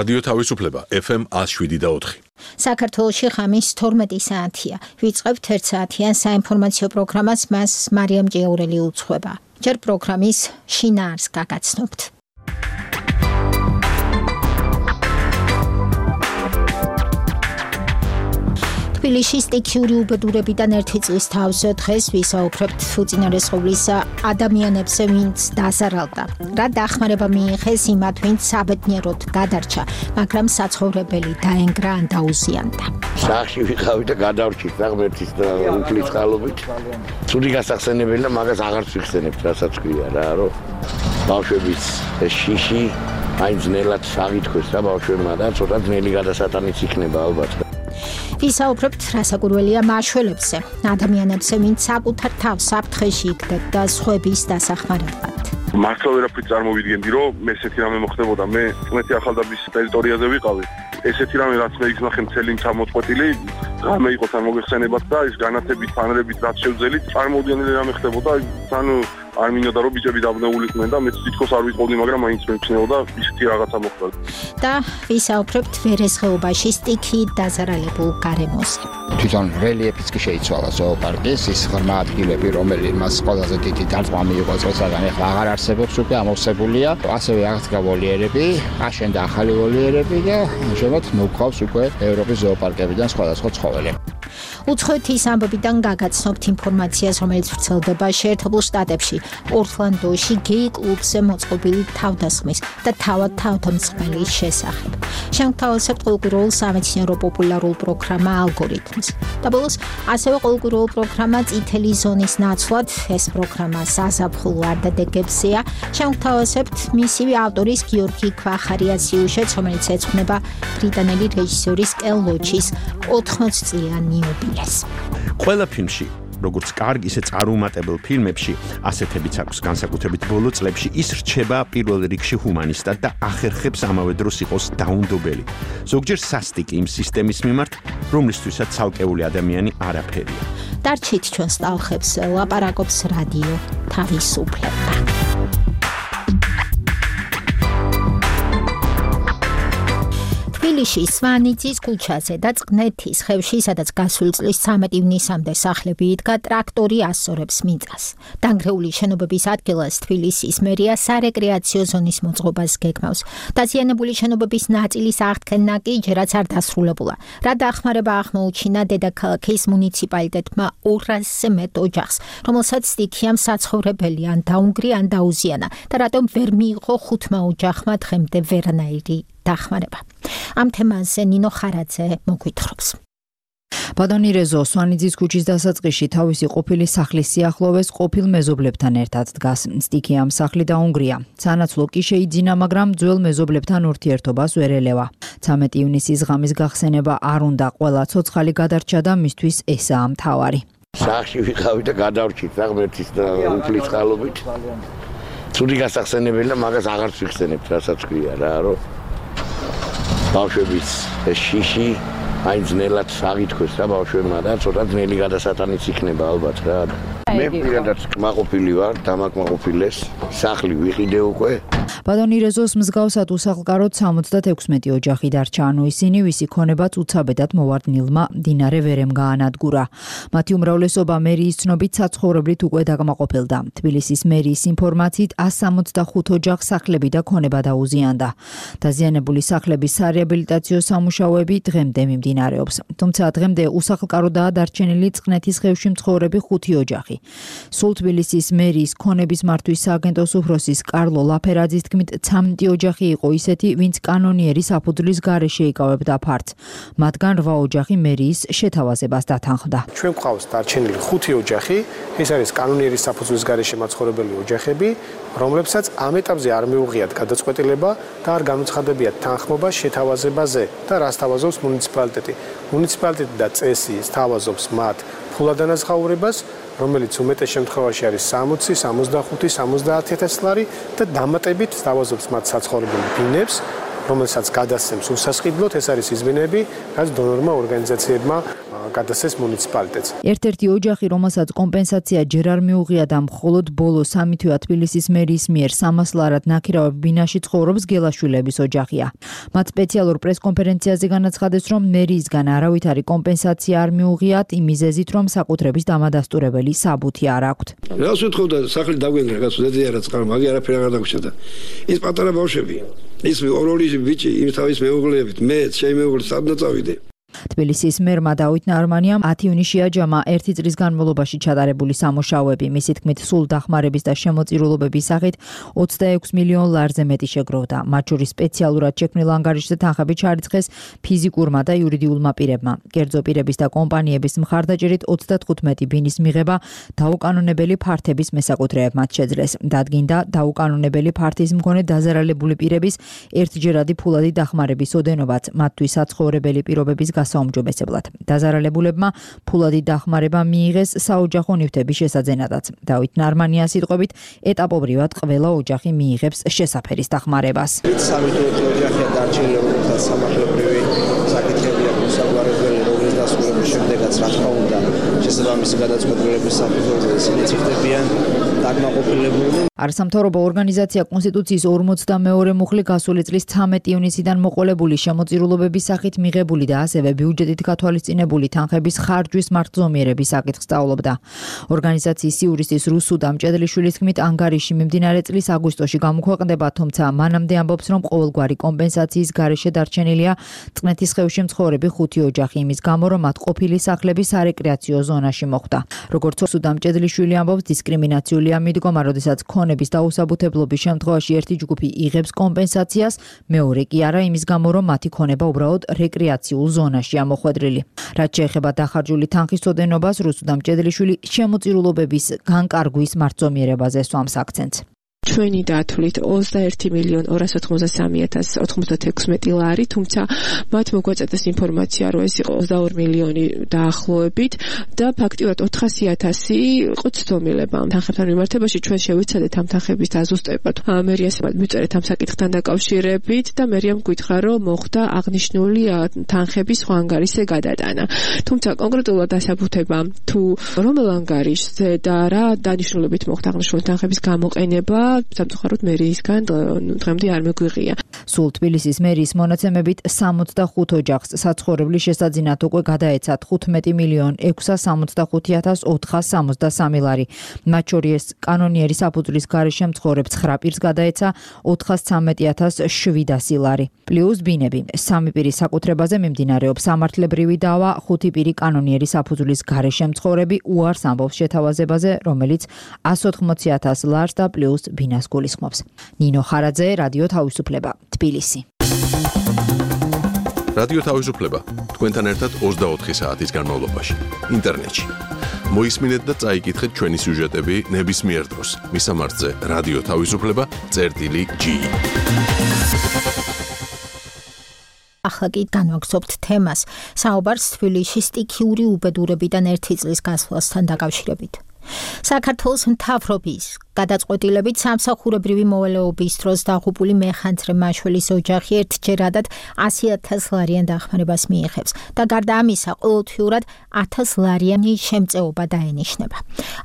რადიო თავისუფლება FM 107.4. საქართველოში ღამის 12 საათია. ვიწყებთ 1 საათიან საინფორმაციო პროგრამას, მას მარიამ ჭიაურელი უძღვება. ჯერ პროგრამის შინაარს გაგაცნობთ. თბილისში სტიქიური უბედურებიდან 1 წლის თავზე დღეს ვისაუბრებთ უწინარესყოვლის ადამიანებზე, ვინც დასარალდა. რა დახმარება მიიღეს იმათ, ვინც საბედნიეროდ გადარჩა, მაგრამ საცხოვრებელი დაენგრა ან დაუზიანდა. სახში ვიყავი და გადავრჩით ღმერთის და უფლის წყალობით. ცუდი გასახსენებელი და მაგას აღარც ვიხსენებთ, რასაც ქვია რა, რომ ბავშვების შიში აი ძნელად აღითქვეს და ბავშვებმა და ცოტა ძნელი გადასატანიც იქნება ალბათ. ვისაუბრებთ რასაკვირველია მაშველებზე, ადამიანებზე, ვინც საკუთარ თავს საფრთხეში იგდებ და სხვების დასახმარებლად. მართლა ვერაფრით წარმოვიდგენდი, რომ ესეთი რამე მოხდებოდა. მე წმეთი ახალდაბის ტერიტორიაზე ვიყავი. ესეთი რამე რაც მე იგზნახე მთელი მთა მოწყვეტილი, რამე იყო თან მოგეხსენებათ და ის განათებით, ფანრებით რაც შევძელით, წარმოვიდგენდი რამე ხდებოდა, თან არ მინდოდა რომ ბიჭები დაბნეულიყვნენ და მეც თითქოს არ ვიყავდი, მაგრამ მაინც მეჩნეოდა ისეთი რაღაცა მოხდა. და ვისაუბრებთ ვერესხეობაში სტიქით დაზარალებულ გარემოზე. თვითონ რელიეფიც კი შეიცვალა ზოოპარკის, ის ღრმა ადგილები, რომელიც ყველაზე დიდი დარტყმა მიიღო წელსაგან, ეხლა აღარ არსებობს, უკვე ამოვსებულია. ასევე აღდგა ვოლიერები, აშენდა ახალი ვოლიერები და ამჟამად მოგყავს უკვე ევროპის ზოოპარკებიდან სხვადასხვა ცხოველი. უცხოეთის ამბებიდან გაგაცნობთ ინფორმაციას, რომელიც ვრცელდება შეერთებულ შტატებში, ორლანდოში გეი კლუბზე მოწყობილი თავდასხმის და თავად თავდამსხმელის შესახებ. შევთავაზებთ ყოველკვირეულ სამეცნიერო პოპულარულ პროგრამა ალგორითმს. და ბოლოს ასევე ყოველკვირეულ პროგრამა წითელი ზონის ნაცვლად, ეს პროგრამა საზაფხულ ვარდადეგებზეა. შევთავაზებთ მისივე ავტორის გიორგი ქვახარიას სიუჟეტს, რომელიც ეძღვნება ბრიტანელი რეჟისორის კელ ლოჩის 80 წლიანი იუბილეს. ყველა ფილმში, როგორც კარგ, ისე წარუმატებელ ფილმებში, ასეთებიც აქვს განსაკუთრებით ბოლო წლებში, ის რჩება პირველ რიგში ჰუმანისტად და ახერხებს ამავე დროს იყოს დაუნდობელი. ზოგჯერ სასტიკი იმ სისტემის მიმართ, რომლისთვისაც ცალკეული ადამიანი არაფერია. დარჩით ჩვენს ტალხებს, ლაპარაკობს რადიო თავისუფლება. თბილისში სვანიძის ქუჩაზე და წყნეთის ხევში, სადაც გასული წლის 13 ივნისამდე სახლები იდგა, ტრაქტორი ასწორებს მიწას. დანგრეული შენობების ადგილას თბილისის მერია სარეკრეაციო ზონის მოწყობას გეგმავს. დაზიანებული შენობების ნაწილის აღდგენა კი ჯერაც არ დასრულებულა. რა დახმარება აღმოუჩინა დედაქალაქის მუნიციპალიტეტმა 200-ზე მეტ ოჯახს, რომელსაც სტიქიამ საცხოვრებელი ან დაუნგრი ან დაუზიანა და რატომ ვერ მიიღო 5 ოჯახმა დღემდე ვერანაირი დახმარება. ამ თემაზე ნინო ხარაძე მოგვითხრობს. ბადონი რეზო სვანიძის ქუჩის დასაწყისში თავისი ყოფილი სახლის სიახლოვეს ყოფილ მეზობლებთან ერთად დგას. სტიქიამ სახლი დაუნგრია. სანაცვლო კი შეიძინა, მაგრამ ძველ მეზობლებთან ურთიერთობას ვერ ელევა. 13 ივნისის ღამის გახსენება არ უნდა, ყველა ცოცხალი გადარჩა და მისთვის ესაა მთავარი. სახში ვიყავი და გადავრჩით ღმერთის და უფლის წყალობით. ცუდი გასახსენებელი და მაგას აღარც ვიხსენებთ, რასაც ქვია რა, რომ ბავშვების შიში აი ძნელად აღითქვეს და ბავშვებმა და ცოტა ძნელი გადასატანიც იქნება ალბათ რა. მე პირადად კმაყოფილი ვარ, დამაკმაყოფილეს, სახლი ვიყიდე უკვე. ბადონი რეზოს მსგავსად უსახლკაროდ 76 ოჯახი დარჩა, ანუ ისინი, ვისი ქონებაც უცაბედად მოვარდნილმა მდინარე ვერემ გაანადგურა. მათი უმრავლესობა მერიის ცნობით საცხოვრებლით უკვე დაკმაყოფილდა. თბილისის მერიის ინფორმაციით 165 ოჯახს სახლები და ქონება დაუზიანდა. დაზიანებული სახლების სარეაბილიტაციო სამუშაოები დღემდე მიმდინარეობს. თუმცა დღემდე უსახლკაროდაა დარჩენილი წყნეთის ხევში მცხოვრები 5 ოჯახი. სულ თბილისის მერიის ქონების მართვის სააგენტოს უფროსის კარლო ლაფერაძის თქმით, 13 ოჯახი იყო ისეთი, ვინც კანონიერის საფუძვლის გარეშე იკავებდა ფართს. მათგან 8 ოჯახი მერიის შეთავაზებას დათანხმდა. ჩვენ გვყავს დარჩენილი 5 ოჯახი, ეს არის კანონიერის საფუძვლის გარეშე მაცხოვრებელი ოჯახები, რომლებსაც ამ ეტაპზე არ მიუღიათ გადაწყვეტილება და არ გამოცხადებიათ თანხმობა შეთავაზებაზე და რას თავაზობს მუნიციპალიტეტი. მუნიციპალიტეტი და წესი თავაზობს მათ ფულადანაზღაურებას, რომელიც უმეტეს შემთხვევაში არის 60, 65, 70,000 ლარი და დამატებით თავაზობს მათ საცხოვრებელ ბინებს, რომელსაც გადასცემს უსასყიდლოდ, ეს არის იზბინები, რაც დონორმა ორგანიზაციებმა გადასცეს მუნიციპალიტეტს. ერთ-ერთი ოჯახი, რომელსაც კომპენსაცია ჯერ არ მიუღია და მხოლოდ ბოლო 3 თვეა თბილისის მერის მიერ 300 ლარად ნაქირავებ ბინაში ცხოვრობს გელაშვილების ოჯახია. მათ სპეციალურ პრესკონფერენციაზე განაცხადეს, რომ მერიისგან არავითარი კომპენსაცია არ მიუღიათ იმ მიზეზით, რომ საკუთრების დამადასტურებელი საბუთი არ აქვთ. რას უთხოვდა სახლი დაგვენგრა, რაღაც ზეზე არა წყალ, მაგი არაფერი არ დაგვრჩა. ის პატარა ბავშვები, ის ორ-ორი ბიჭი, იმ თავის მეუღლეებით, მე ჩემი მეუღლე სადნა წავიდე. თბილისის მერმა დავით ნარმანიამ 10 ივნისში აჯამა 1 წლის განმავლობაში ჩატარებული სამუშაოები. მისი თქმით, სულ დახმარების და შემოწირულობების სახით 26 მილიონ ლარზე მეტი შეგროვდა. მათ შორის სპეციალურად შექმნილ ანგარიშზე თანხები ჩარიცხეს ფიზიკურმა და იურიდიულმა პირებმა. კერძო პირების და კომპანიების მხარდაჭერით 35 ბინის მიღება დაუკანონებელი ფართების მესაკუთრეებმაც შეძლეს. დადგინდა დაუკანონებელი ფართის მქონე დაზარალებული პირების ერთჯერადი ფულადი დახმარების ოდენობაც, მათთვის საცხოვრებელი პირობების გასაუმჯობესებლად. დაზარალებულებმა ფულადი დახმარება მიიღეს საოჯახო ნივთების შესაძენადაც. დავით ნარმანიას სიტყვებით, ეტაპობრივად ყველა ოჯახი მიიღებს შესაფერის დახმარებას. სამი ოჯახია დარჩენილი, რომელსაც სამართლებრივი საკითხები აქვს საგვარევლელი, რომლის დასრულების შემდეგაც რა თქმა უნდა შესაბამისი გადაწყვეტილების საფუძველზე ისინი ციხდებიან დაკმაყოფილებული. არასამთავრობო ორგანიზაცია კონსტიტუციის 42 მუხლი გასული წლის 13 ივნისიდან მოყოლებული შემოწირულობების სახით მიღებული და ასევე ბიუჯეტით გათვალისწინებული თანხების ხარჯვის მართლზომიერების საკითხს სწავლობდა. ორგანიზაციის იურისტის რუსუდა მჭედლიშვილის თქმით, ანგარიში მიმდინარე წლის აგვისტოში გამოქვეყნდება, თუმცა მანამდე ამბობს, რომ ყოველგვარი კომპენსაციის გარეშე დარჩენილია წყნეთის ხევში მცხოვრები 5 ოჯახი იმის გამო, რომ მათ ყოფილი სახლები სარეკრეაციო ზონაში მოხვდა. როგორც რუსუდა მჭედლიშვილი ამბობს, დისკრიმინაციულია მიდგომა, როდესაც ქონების დაუსაბუთებლობის შემთხვევაში ერთი ჯგუფი იღებს კომპენსაციას, მეორე კი არა, იმის გამო, რომ მათი ქონება უბრალოდ რეკრეაციულ ზონაშია მოხვედრილი. რაც შეეხება დახარჯული თანხის ოდენობას, რუსუდა მჭედლიშვილი შემოწირულობების განკარგვის მართლზომიერებაზე სვამს აქცენტს. ჩვენი დათვლით 21,283,096 ლარი, თუმცა მათ მოგვაწედეს ინფორმაცია, რომ ეს იყო 22 მილიონი დაახლოებით და ფაქტიურად 400,000 იყო ცდომილება. თანხებთან მიმართებაში ჩვენ შევიცადეთ ამ თანხების დაზუსტება. მერიას მივწერეთ ამ საკითხთან დაკავშირებით და მერიამ გვითხრა, რომ მოხდა აღნიშნული თანხების სხვა ანგარიშზე გადატანა. თუმცა კონკრეტულად დასაბუთება თუ რომელ ანგარიშზე და რა დანიშნულებით მოხდა აღნიშნული თანხების გამოყენება სამწუხაროდ მერიისგან დღემდე არ მეგვიღია. სულ თბილისის მერიის მონაცემებით 65 ოჯახს საცხოვრებლის შესაძინად უკვე გადაეცათ 15,665,463 ლარი. მათ შორის კანონიერი საფუძვლის გარეშე მცხოვრებ 9 პირს გადაეცა 413,700 ლარი. პლუს ბინები 3 პირის საკუთრებაზე მიმდინარეობს სამართლებრივი დავა, 5 პირი კანონიერი საფუძვლის გარეშე მცხოვრები უარს ამბობს შეთავაზებაზე, რომელიც 180,000 ლარს და პლუს ბინას გულისხმობს. ნინო ხარაძე, რადიო თავისუფლება, თბილისი. რადიო თავისუფლება თქვენთან ერთად 24 საათის განმავლობაში ინტერნეტში. მოისმინეთ და წაიკითხეთ ჩვენი სიუჟეტები ნებისმიერ დროს. მისამართზე რადიო თავისუფლება.ge. ახლა კი განვაგრძობთ თემას. საუბარს თბილისში სტიქიური უბედურებიდან 1 წლის გასვლასთან დაკავშირებით. საქართველოს მთავრობის გადაწყვეტილებით სამსახურებრივი მოვალეობის დროს დაღუპული მეხანძრე მაშველის ოჯახი ერთჯერადად 100,000 ლარიან დახმარებას მიიღებს და გარდა ამისა ყოველთვიურად 1000 ლარიანი შემწეობა დაენიშნება.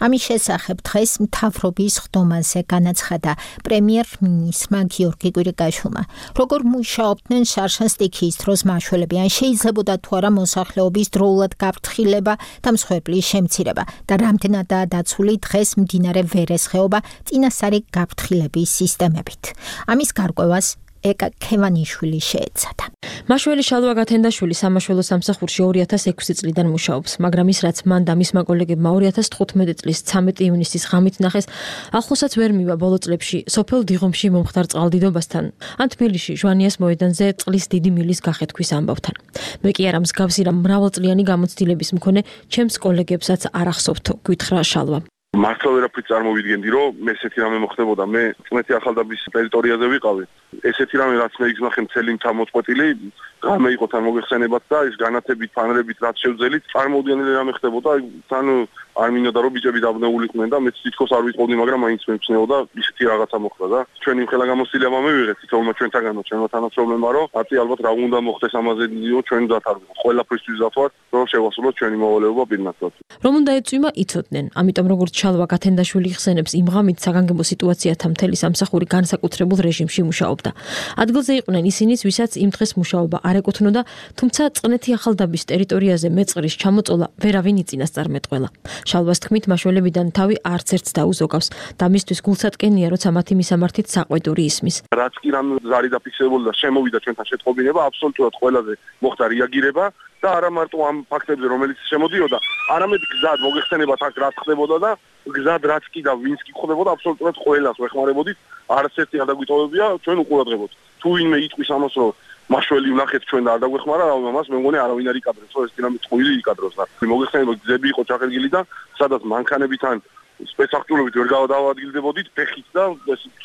ამის შესახებ დღეს მთავრობის ხდომაზე განაცხადა პრემიერ-მინისტრმა გიორგი კვირიკაშვილმა. როგორ მუშაობდნენ შარშან სტიქიის დროს მაშველები, ან შეიძლებოდა თუ არა მოსახლეობის დროულად გაფრთხილება და მსხვერპლის შემცირება და რამდენადაა დაცული დღეს მდინარე ვერეს ხეობა წინასწარი გაფრთხილების სისტემებით. ამის გარკვევას ეკა ქევანიშვილი შეეცადა. მაშველი შალვა გათენდაშვილი სამაშველო სამსახურში 2006 წლიდან მუშაობს, მაგრამ ის რაც მან და მისმა კოლეგებმა 2015 წლის 13 ივნისის ღამით ნახეს, ახლოსაც ვერ მივა ბოლო წლებში სოფელ დიღომში მომხდარ წყალდიდობასთან, ან თბილისში ჟვანიას მოედანზე წყლის დიდი მილის გახეთქვის ამბავთან. მე კი არა მსგავსი რა მრავალწლიანი გამოცდილების მქონე ჩემს კოლეგებსაც არ ახსოვთო, გითხრა შალვა. მართლა ვერაფრით წარმოვიდგენდი, რომ ესეთი რამე მოხდებოდა. მე წმეთი ახალდაბის ტერიტორიაზე ვიყავი. ესეთი რამე რაც მე იგზნახე მთელი მთამოწყვეტილი, რამე იყო თან მოიხსენებათ და ეს განათებით, ფანრებით რაც შევძელით, წარმოუდგენელი რამე ხდებოდა. თან არ მინდოდა რომ ბიჭები დაბნეულიყვნენ და მეც თითქოს არ ვიტყოდი, მაგრამ მაინც მეცნეოდა ისეთი რაღაცა მოხდა და ჩვენი ხელა გამოსილება მივიღეთ თითოეულმა ჩვენთაგანო, ჩვენმა თანამშრომლებმა რომ ათი ალბათ რა უნდა მოხდეს ამაზე დიო ჩვენ დათარ ყველაფრისთვის დათვათ რომ შევასრულოთ ჩვენი მოვალეობა პირნათლად. რომ უნდა ეწვიმა იცოდნენ, ამიტომ როგორც ჩალვა გათენდაშვილი იხსენებს, იმ ღამით საგანგებო სიტუაციათა მთელი სამსახური განსაკუთრებულ რეჟიმში მუშაობდა. ადგილზე იყვნენ ისინიც, ვისაც იმ დღეს მუშაობა არ ეკუთვნოდა, თუმცა წყნეთი ახალდაბის ტერიტორიაზე მეწყრის ჩამოწოლა ვერავინ იწინასწარ მეტყველა. შალვას თქმით, მაშველებიდან თავი არც ერთს დაუზოგავს და მისთვის გულსატკენია, როცა მათი მისამართით საყვედური ისმის. რაც კი რამ ზარი დაფიქსირებული და შემოვიდა ჩვენთან შეტყობინება, აბსოლუტურად ყველაზე მოხდა რეაგირება და არა მარტო ამ ფაქტებზე, რომელიც შემოდიოდა, არამედ გზად მოგეხსენებათ აქ რა ხდებოდა და გზად რაც კი და ვინც კი ხდებოდა, აბსოლუტურად ყველას ვეხმარებოდით, არც ერთი არ დაგვიტოვებია, ჩვენ უყურადღებოთ. თუ ვინმე იტყვის ამას, რომ მაშველი ვნახეთ ჩვენ და არ დაგვეხმარა, ამას მე მგონი არავინ არ იკადრებს, რომ ეს დინამით წვილი იკადროს და მოგეხსენებათ გზები იყო ჩახერგილი და სადაც მანქანებიდან სპეცსახტულობით ვერ გავადაადგილდებოდით ფეხით და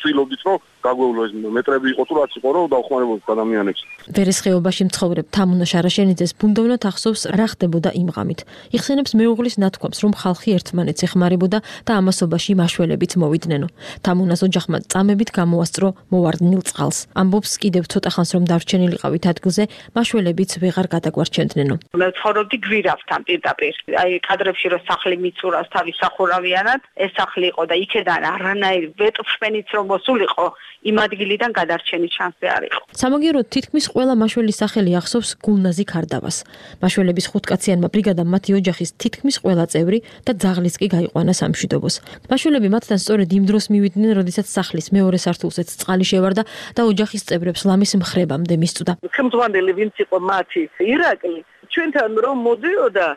ცდილობდით რომ გაგვევლო ეს მეტრები იყო თუ რაც იყო რომ დავხმარებოდით ადამიანებს. ვერის ხეობაში მცხოვრებ თამუნა შარაშენიძეს ბუნდოვნად ახსოვს რა ხდებოდა იმ ღამით. იხსენებს მეუღლის ნათქვამს, რომ ხალხი ერთმანეთს ეხმარებოდა და ამასობაში მაშველებიც მოვიდნენ. თამუნას ოჯახმა წამებით გამოასწრო მოვარდნილ წყალს. ამბობს კიდევ ცოტა ხანს რომ დარჩენილიყავით ადგილზე, მაშველებიც ვეღარ გადაგვარჩენდნენ. მე ცხოვრობდი გვირავთან პირდაპირ. აი კადრებში რომ სახლი მიწურავს თავის სახურავიანად ეს სახლი იყო და იქედან არანაირი ვეტოფშპენიც რომ მოსულიყო იმ ადგილიდან გადარჩენის შანსი არ იყო. სამაგიეროდ თითქმის ყველა მაშველის სახელი ახსოვს გულნაზი ქარდავას. მაშველების ხუთკაციანმა ბრიგადამ მათი ოჯახის თითქმის ყველა წევრი და ძაღლიც კი გაიყვანა სამშვიდობოს. მაშველები მათთან სწორედ იმ დროს მივიდნენ, როდესაც სახლის მეორე სართულზეც წყალი შევარდა და ოჯახის წევრებს ლამის მხრებამდე მისწვდა. ხელმძღვანელი ვინც იყო მათი ირაკლი ჩვენთან რომ მოდიოდა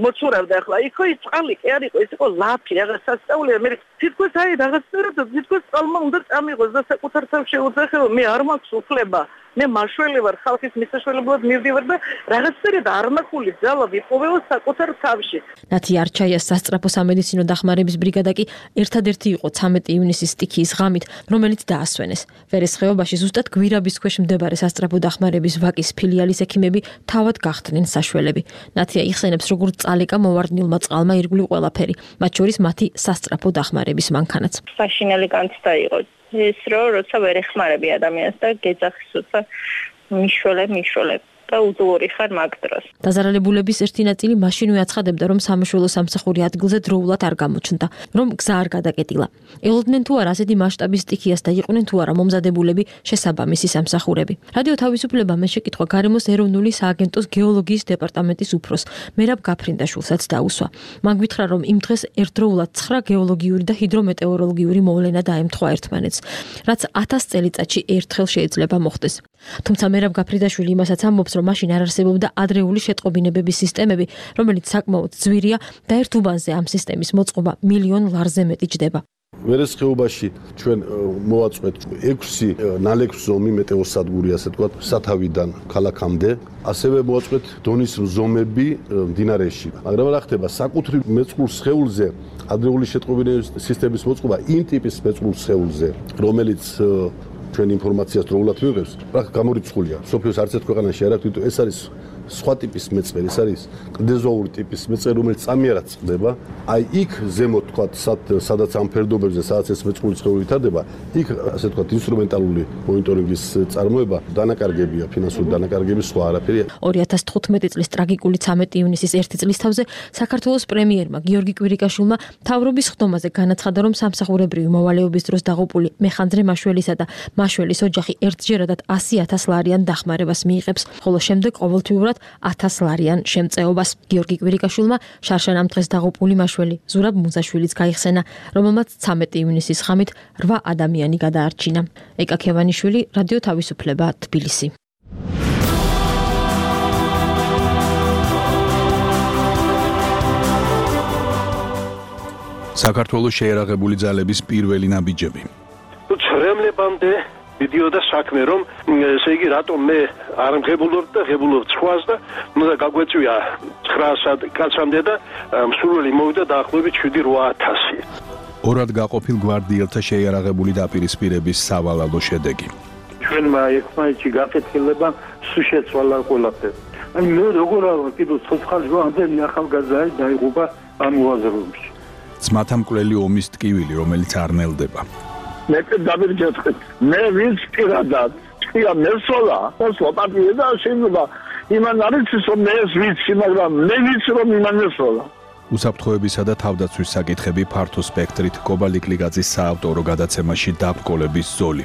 მოცურავდა ახლა იქო ის წყალი კი არ იყო ეს იყო ლაფი რაღაც სასწაულია მე თითქოს აი რაღაცნაირად თითქოს წყალმა უნდა წამიღოს და საკუთარ თავში უძახეო მე არ მაქვს უფლება მე მაშველი ვარ ხალხის მისაშველებლად მივდივარ და რაღაცნაირად არნახული ძალა ვიპოვეო საკუთარ თავში. ნათი არჩაიას სასწრაფო სამედიცინო დახმარების ბრიგადა კი ერთადერთი იყო 13 ივნისის სტიქიის ღამით, რომელიც დაასვენეს. ვერის ხეობაში ზუსტად გვირაბის ქვეშ მდებარე სასწრაფო დახმარების ვაკის ფილიალის ექიმები თავად გახდნენ საშველები. ნათია იხსენებს, როგორ წალეკა მოვარდნილმა წყალმა ირგვლივ ყველაფერი, მათ შორის მათი სასწრაფო დახმარების მანქანაც. საშინელი განცდა იყო ის რომ როცა ვერ ეხმარები ადამიანს და გეძახის უცა მიშველებ და უძლური ხარ მაგ დროს. დაზარალებულების ერთი ნაწილი მაშინვე აცხადებდა, რომ სამშველო სამსახური ადგილზე დროულად არ გამოჩნდა, რომ გზა არ გადაკეტილა. ელოდნენ თუ არა ასეთი მასშტაბის სტიქიას და იყვნენ თუ არა მომზადებულები შესაბამისი სამსახურები. რადიო თავისუფლებამ ეს შეკითხვა გარემოს ეროვნული სააგენტოს გეოლოგიის დეპარტამენტის უფროს მერაბ გაფრინდაშვილსაც დაუსვა. მან გითხრა, რომ იმ დღეს ერთდროულად 9 გეოლოგიური და ჰიდრომეტეოროლოგიური მოვლენა დაემთხვა ერთმანეთს, რაც 1000 წელიწადში ერთხელ შეიძლება მოხდეს. თუმცა მერაბ გაფრინდაშვილი იმასაც ამბობს, რომ მაშინ არ არსებობდა ადრეული შეტყობინებების სისტემები, რომელიც საკმაოდ ძვირია და ერთ უბანზე ამ სისტემის მოწყობა $1,000,000 ლარზე მეტი ჯდება. ვერეს ხეობაში ჩვენ მოვაწყვეთ 6 ნალექზომი მეტეოსადგური, ასე ვთქვათ, სათავიდან ქალაქამდე. ასევე მოვაწყვეთ დონის ზომები მდინარეში. მაგრამ რა ხდება, საკუთრივ მეწყრულ სხეულზე ადრეული შეტყობინების სისტემის მოწყობა იმ ტიპის მეწყრულ სხეულზე, რომელიც ჩვენ ინფორმაციას დროულად მივიღებს, პრაქტიკულად გამორიცხულია. სოფიოს არც ერთ ქვეყანაში არ აქვს, თვითონ ეს არის სხვა ტიპის მეწყერი, ეს არის კლდეზოური ტიპის მეწყერი, რომელიც წამიერად წყდება. აი იქ ზემოთ თქვათ, სადაც ამ ფერდობებზე, სადაც ეს მეწყრული სხეული ვითარდება, იქ ასე თქვათ, ინსტრუმენტალური მონიტორინგის წარმოება, დანაკარგებია, ფინანსური დანაკარგები, სხვა არაფერია. 2015 წლის ტრაგიკული 13 ივნისის ერთი წლის თავზე საქართველოს პრემიერმა გიორგი კვირიკაშვილმა თავრობის ხდომაზე განაცხადა, რომ სამსახურებრივი მოვალეობის დროს დაღუპული მეხანძრე მაშველისა და მაშველის ოჯახი ერთჯერადად 100,000 ლარიან დახმარებას მიიღებს, ხოლო შემდეგ ყოველთვიურად 1000 ლარიან შემწეობას. გიორგი კვირიკაშვილმა შარშან ამ დღეს დაღუპული მაშველი ზურაბ მუზაშვილიც გაიხსენა, რომელმაც 13 ივნისის ღამით 8 ადამიანი გადაარჩინა. ეკა ქევანიშვილი, რადიო თავისუფლება, თბილისი. საქართველოს შეერაღებული ძალების პირველი ნაბიჯები. ცრემლებამდე მიდიოდა საქმე, რომ ესე იგი რატომ მე არ მღებულობ და ღებულობ სხვას და უნდა გაგვეწვია 900 კაცამდე და მსურველი მოვიდა დაახლოებით 7-8000. ორად გაყოფილ გვარდიელთა შეიარაღებული დაპირისპირების სავალალო შედეგი. ჩვენმა ერთმანეთში გაკეთილება სულ შეცვალა ყველაფერი. აი მე როგორ არა კიდევ ცოცხალი ამდენი ახალგაზრდა დაიღუპა ამ მოაზროვნებში. ძმათა მკვლელი ომის ტკივილი, რომელიც არ ნელდება. მე დავირჯეთქეთ. მე ვინც პირადად თქვია მესოლა, მოსვლა პარტია და შეიძლება იმან არის რომ მე ვიცი, მაგრამ მე ვიცი რომ იმან მესოლა. უსაფრთხოებისა და თავდაცვის საკითხები ფართო სპექტრით კობალიკლიგაძის საავტორო გადაცემაში დაბრკოლების ზოლი.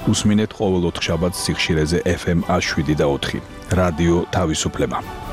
უსმინეთ ყოველ 4 შაბათს სიხშირეზე FM 7 და 4. რადიო თავისუფლება.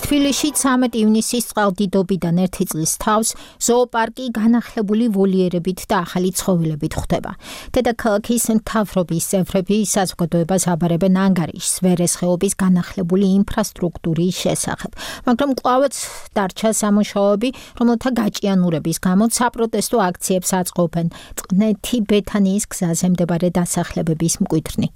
თბილისში 13 ივნისის წყალდიდობიდან 1 წლის თავს ზოოპარკი განახლებული ვოლიერებით და ახალი ცხოველებით ხვდება. დედაქალაქის მთავრობის წევრები საზოგადოებას აბარებენ ანგარიშს ვერეს ხეობის განახლებული ინფრასტრუქტურის შესახებ, მაგრამ კვლავაც დარჩა სამუშაოები, რომელთა გაჭიანურების გამო საპროტესტო აქციებს აწყობენ წყნეთი ბეთანიის გზაზე მდებარე დასახლებების მკვიდრნი.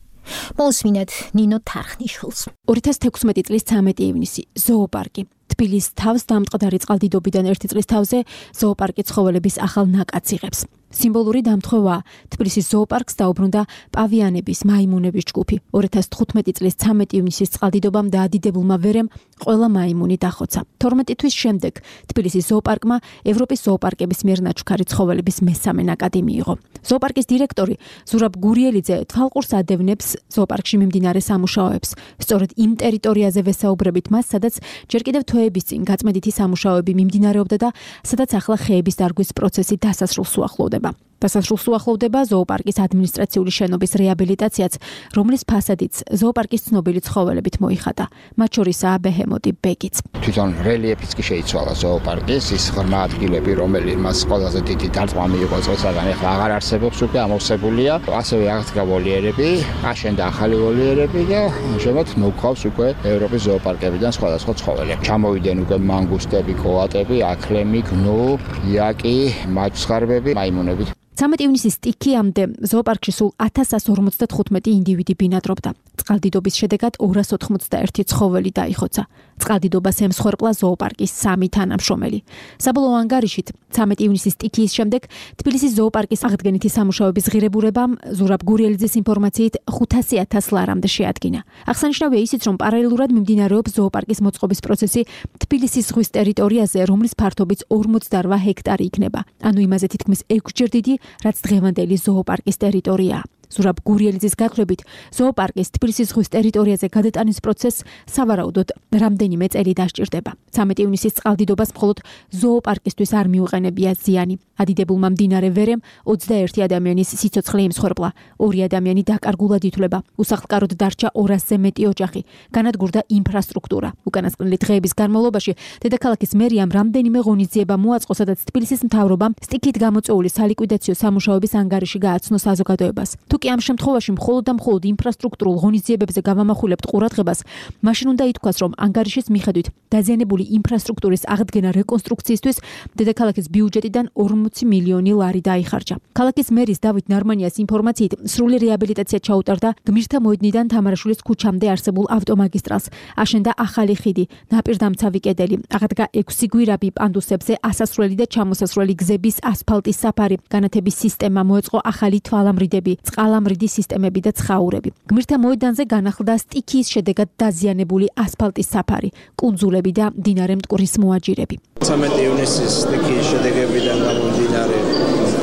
მოусმინეთ ნინო თარხნიშვილს. 2016 წლის 13 ივნისი ზოოპარკი თბილისის თავს დამტყდარი წყალდიდობიდან 1 წლის თავზე ზოოპარკი ცხოველების ახალ ნაკადს იღებს. სიმბოლური დამთხოვა თბილისის ზოოპარკს დაუბრუნდა პავიანების, მაიმუნების ჯგუფი. 2015 წლის 13 ივნისის წყალდიდობამ და ადიდებულმა ვერემ ყველა მაიმუნი დახოცა. 12 თვის შემდეგ თბილისის ზოოპარკმა ევროპის ზოოპარკების მიერ ნაჩუქარი ცხოველების მესამე ნაკადი მიიღო. ზოოპარკის დირექტორი ზურაბ გურიელიძე თვალყურს ადევნებს ზოოპარკში მიმდინარე სამუშაოებს. სწორედ იმ ტერიტორიაზე ვესაუბრებით მას, სადაც ჯერ კიდევ თვეების წინ გაწმენდითი სამუშაოები მიმდინარეობდა და სადაც ახლა ხეების დარგვის პროცესი დასასრულს უახლოვდება. დასასრულს უახლოვდება ზოოპარკის ადმინისტრაციული შენობის რეაბილიტაციაც, რომლის ფასადიც ზოოპარკის ცნობილი ცხოველებით მოიხატა. მათ შორისაა ბეჰემოთი ბეგიც. თვითონ რელიეფიც კი შეიცვალა ზოოპარკის, ის ღრმა ადგილები, რომელიც მას ყველაზე დიდი დარტყმა მიიღო წელსაგან, ახლა აღარ არსებობს, უკვე ამოვსებულია. ასევე აღდგა ვოლიერები, აშენდა ახალი ვოლიერები და შემოთ მოგყავს უკვე ევროპის ზოოპარკებიდან სხვადასხვა ცხოველები. ჩამოვიდნენ უკვე მანგუსტები, კოატები, აქლემი, გნუ, იაკი, მაჩხარბები, მაიმუნები. 13 ივნისის სტიქიამდე ზოოპარკში სულ 1155 ინდივიდი ბინადრობდა. წყალდიდობის შედეგად 291 ცხოველი დაიხოცა. წყალდიდობას ემსხვერპლა ზოოპარკის 3 თანამშრომელი. საბოლოო ანგარიშით 13 ივნისის სტიქიის შემდეგ თბილისის ზოოპარკის აღდგენითი სამუშაოების ღირებულებამ ზურაბ გურიელიძის ინფორმაციით 500,000 ლარამდე შეადგინა. აღსანიშნავია ისიც, რომ პარალელურად მიმდინარეობს ზოოპარკის მოწყობის პროცესი თბილისის ზღვის ტერიტორიაზე, რომლის ფართობიც 48 ჰექტარი იქნება. ანუ იმაზე თითქმის 6 ჯერ დიდი, რაც დღევანდელი ზოოპარკის ტერიტორიაა. ზურაბ გურიელიძის გათხრებით, ზოოპარკის თბილისის ზღვის ტერიტორიაზე გადატანის პროცესს სავარაუდოდ რამდენიმე წელი დასჭირდება. 13 ივნისის წყალდიდობას მხოლოდ ზოოპარკისთვის არ მიუყენებია ზიანი. ადიდებულმა მდინარე ვერემ 21 ადამიანის სიცოცხლე იმსხვერპლა, 2 ადამიანი დაკარგულად ითვლება, უსახლკაროდ დარჩა 200-ზე მეტი ოჯახი, განადგურდა ინფრასტრუქტურა. უკანასკნელი დღეების განმავლობაში დედაქალაქის მერიამ რამდენიმე ღონისძიება მოაწყო, სადაც თბილისის მთავრობამ სტიქით გამოწვეული სალიკვიდაციო სამუშაოების ანგარიში გააცნო საზოგადოებას. თუკი ამ შემთხვევაში მხოლოდ და მხოლოდ ინფრასტრუქტურულ ღონისძიებებზე გავამახვილებთ ყურადღებას, მაშინ უნდა ითქვას, რომ ანგარიშის მიხედვით დაზიანებული ინფრასტრუქტურის აღდგენა რეკონსტრუქციისთვის დედაქალაქის ბიუჯეტიდან 40 მილიონი ლარი დაიხარჯა. ქალაქის მერის დავით ნარმანიას ინფორმაციით, სრული რეაბილიტაცია ჩაუტარდა გმირთა მოედნიდან თამარაშვილის ქუჩამდე არსებულ ავტომაგისტრალს, აშენდა ახალი ხიდი, ნაპირდამცავი კედელი, აღდგა 6 გვირაბი პანდუსებზე ასასვლელი და ჩამოსასვლელი გზების ასფალტის საფარი, განათების სისტემა, მოეწყო ახალი თვალამრიდები, წყალამრიდი სისტემები და ცხაურები. გმირთა მოედანზე განახლდა სტიქიის შედეგად დაზიანებული ასფალტის საფარი, კუნძულები და მდინარე მტკვრის მოაჯირები. 13 ივნისის სტიქიის შედეგებიდან გამომდინარე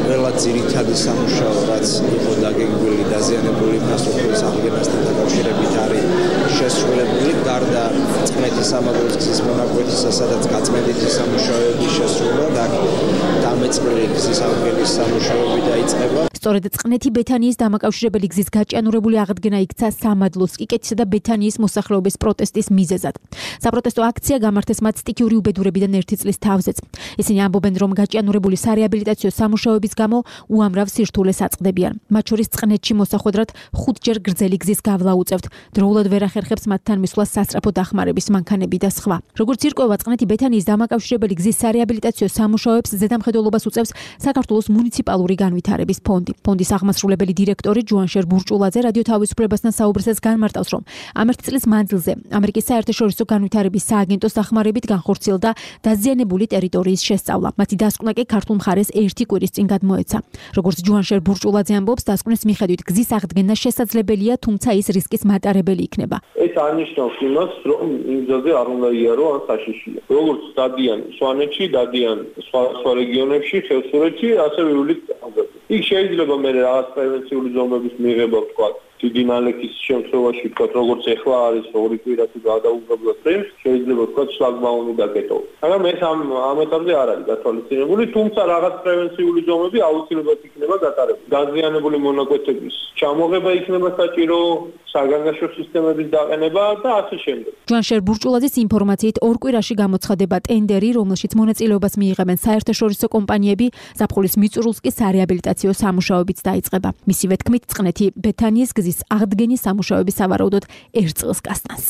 ყველა ძირითადი სამუშაო, რაც იყო დაგეგმილი დაზიანებული ინფრასტრუქტურის აღდგენასთან დაკავშირებით არის შესრულებული. გარდა წყნეთის სამაგროს გზის მონაკვეთისა, სადაც გაწმენდითი სამუშაოების შესრულება და დამეწმული გზის აღდგენის სამუშაოები დაიწყება. სწორედ წყნეთი ბეთანიის დამაკავშირებელი გზის გაჭიანურებული აღდგენა იქცა სამადლოს, კიკეთისა და ბეთანიის მოსახლეობის პროტესტის მიზეზად. საპროტესტო აქცია გამართეს მათ სტიქიური უბედურებიდან 1 წლის თავზეც. ისინი ამბობენ, რომ გაჭიანურებული სარეაბილიტაციო სამუშაოების გამო უამრავ სირთულეს აწყდებიან. მათ შორის წყნეთში მოსახვედრად 5ჯერ გრძელი გზის გავლა უწევთ. დროულად ვერ ახერხებს მათთან მისვლას სასწრაფო დახმარების მანქანები და სხვა. როგორც ირკვევა, წყნეთი ბეთანიის დამაკავშირებელი გზის სარეაბილიტაციო სამუშაოებს ზედამხედველობას უწევს საქართველოს მუნიციპალური განვითარების ფონდი. ფონდის აღმასრულებელი დირექტორი ჯუანშერ ბურჭულაძე რადიო თავისუფლებასთან საუბრისას განმარტავს, რომ ამ ერთ წლის მანძილზე ამერიკის საერთაშორისო განვითარების სააგენტოს დახმარებით განხორციელდა დაზიანებული ტერიტორიის შესწავლა. მათი დასკვნა კი ქართულ მხარეს ერთი კვირის წინ გადმოეცა. როგორც ჯუანშერ ბურჭულაძე ამბობს, დასკვნის მიხედვით გზის აღდგენა შესაძლებელია, თუმცა ის რისკის მატარებელი იქნება. ეს არნიშნავს იმას, რომ იმ გზაზე არ უნდა იარო ან საშიშია. როგორც დადიან სვანეთში, დადიან სხვა რეგიონებში, ხევსურეთში, ასევე ივლისს წამზე. იქ შეიძლება მე რაღაც პრევენციული ზომების მიღება ვთქვა. დიდი ნალექის შემთხვევაში ვთქვა, როგორც ეხლა არის 2 კვირა თუ გადაუღებლად წელს, შეიძლება ვთქვა შლაგბაუმი დაკეტო. მაგრამ ეს ამ ეტაპზე არ არის გათვალისწინებული, თუმცა რაღაც პრევენციული ზომები აუცილებლად იქნება გატარებული. დაზიანებული მონაკვეთების ჩამოღება იქნება საჭირო, საგანგაშო სისტემების დაყენება და ასე შემდეგ. ჯუანშერ ბურჭულაძის ინფორმაციით 2 კვირაში გამოცხადება ტენდერი, რომელშიც მონაწილეობას მიიღებენ საერთაშორისო კომპანიები, ზაფხულის მიწურულს კი სარეაბილიტაციო სამუშაოებიც დაიწყება. მისივე თქმით, წყნეთი ბეთანიის გზის აღდგენის სამუშაოები სავარაუდოდ 1 წელს გასტანს.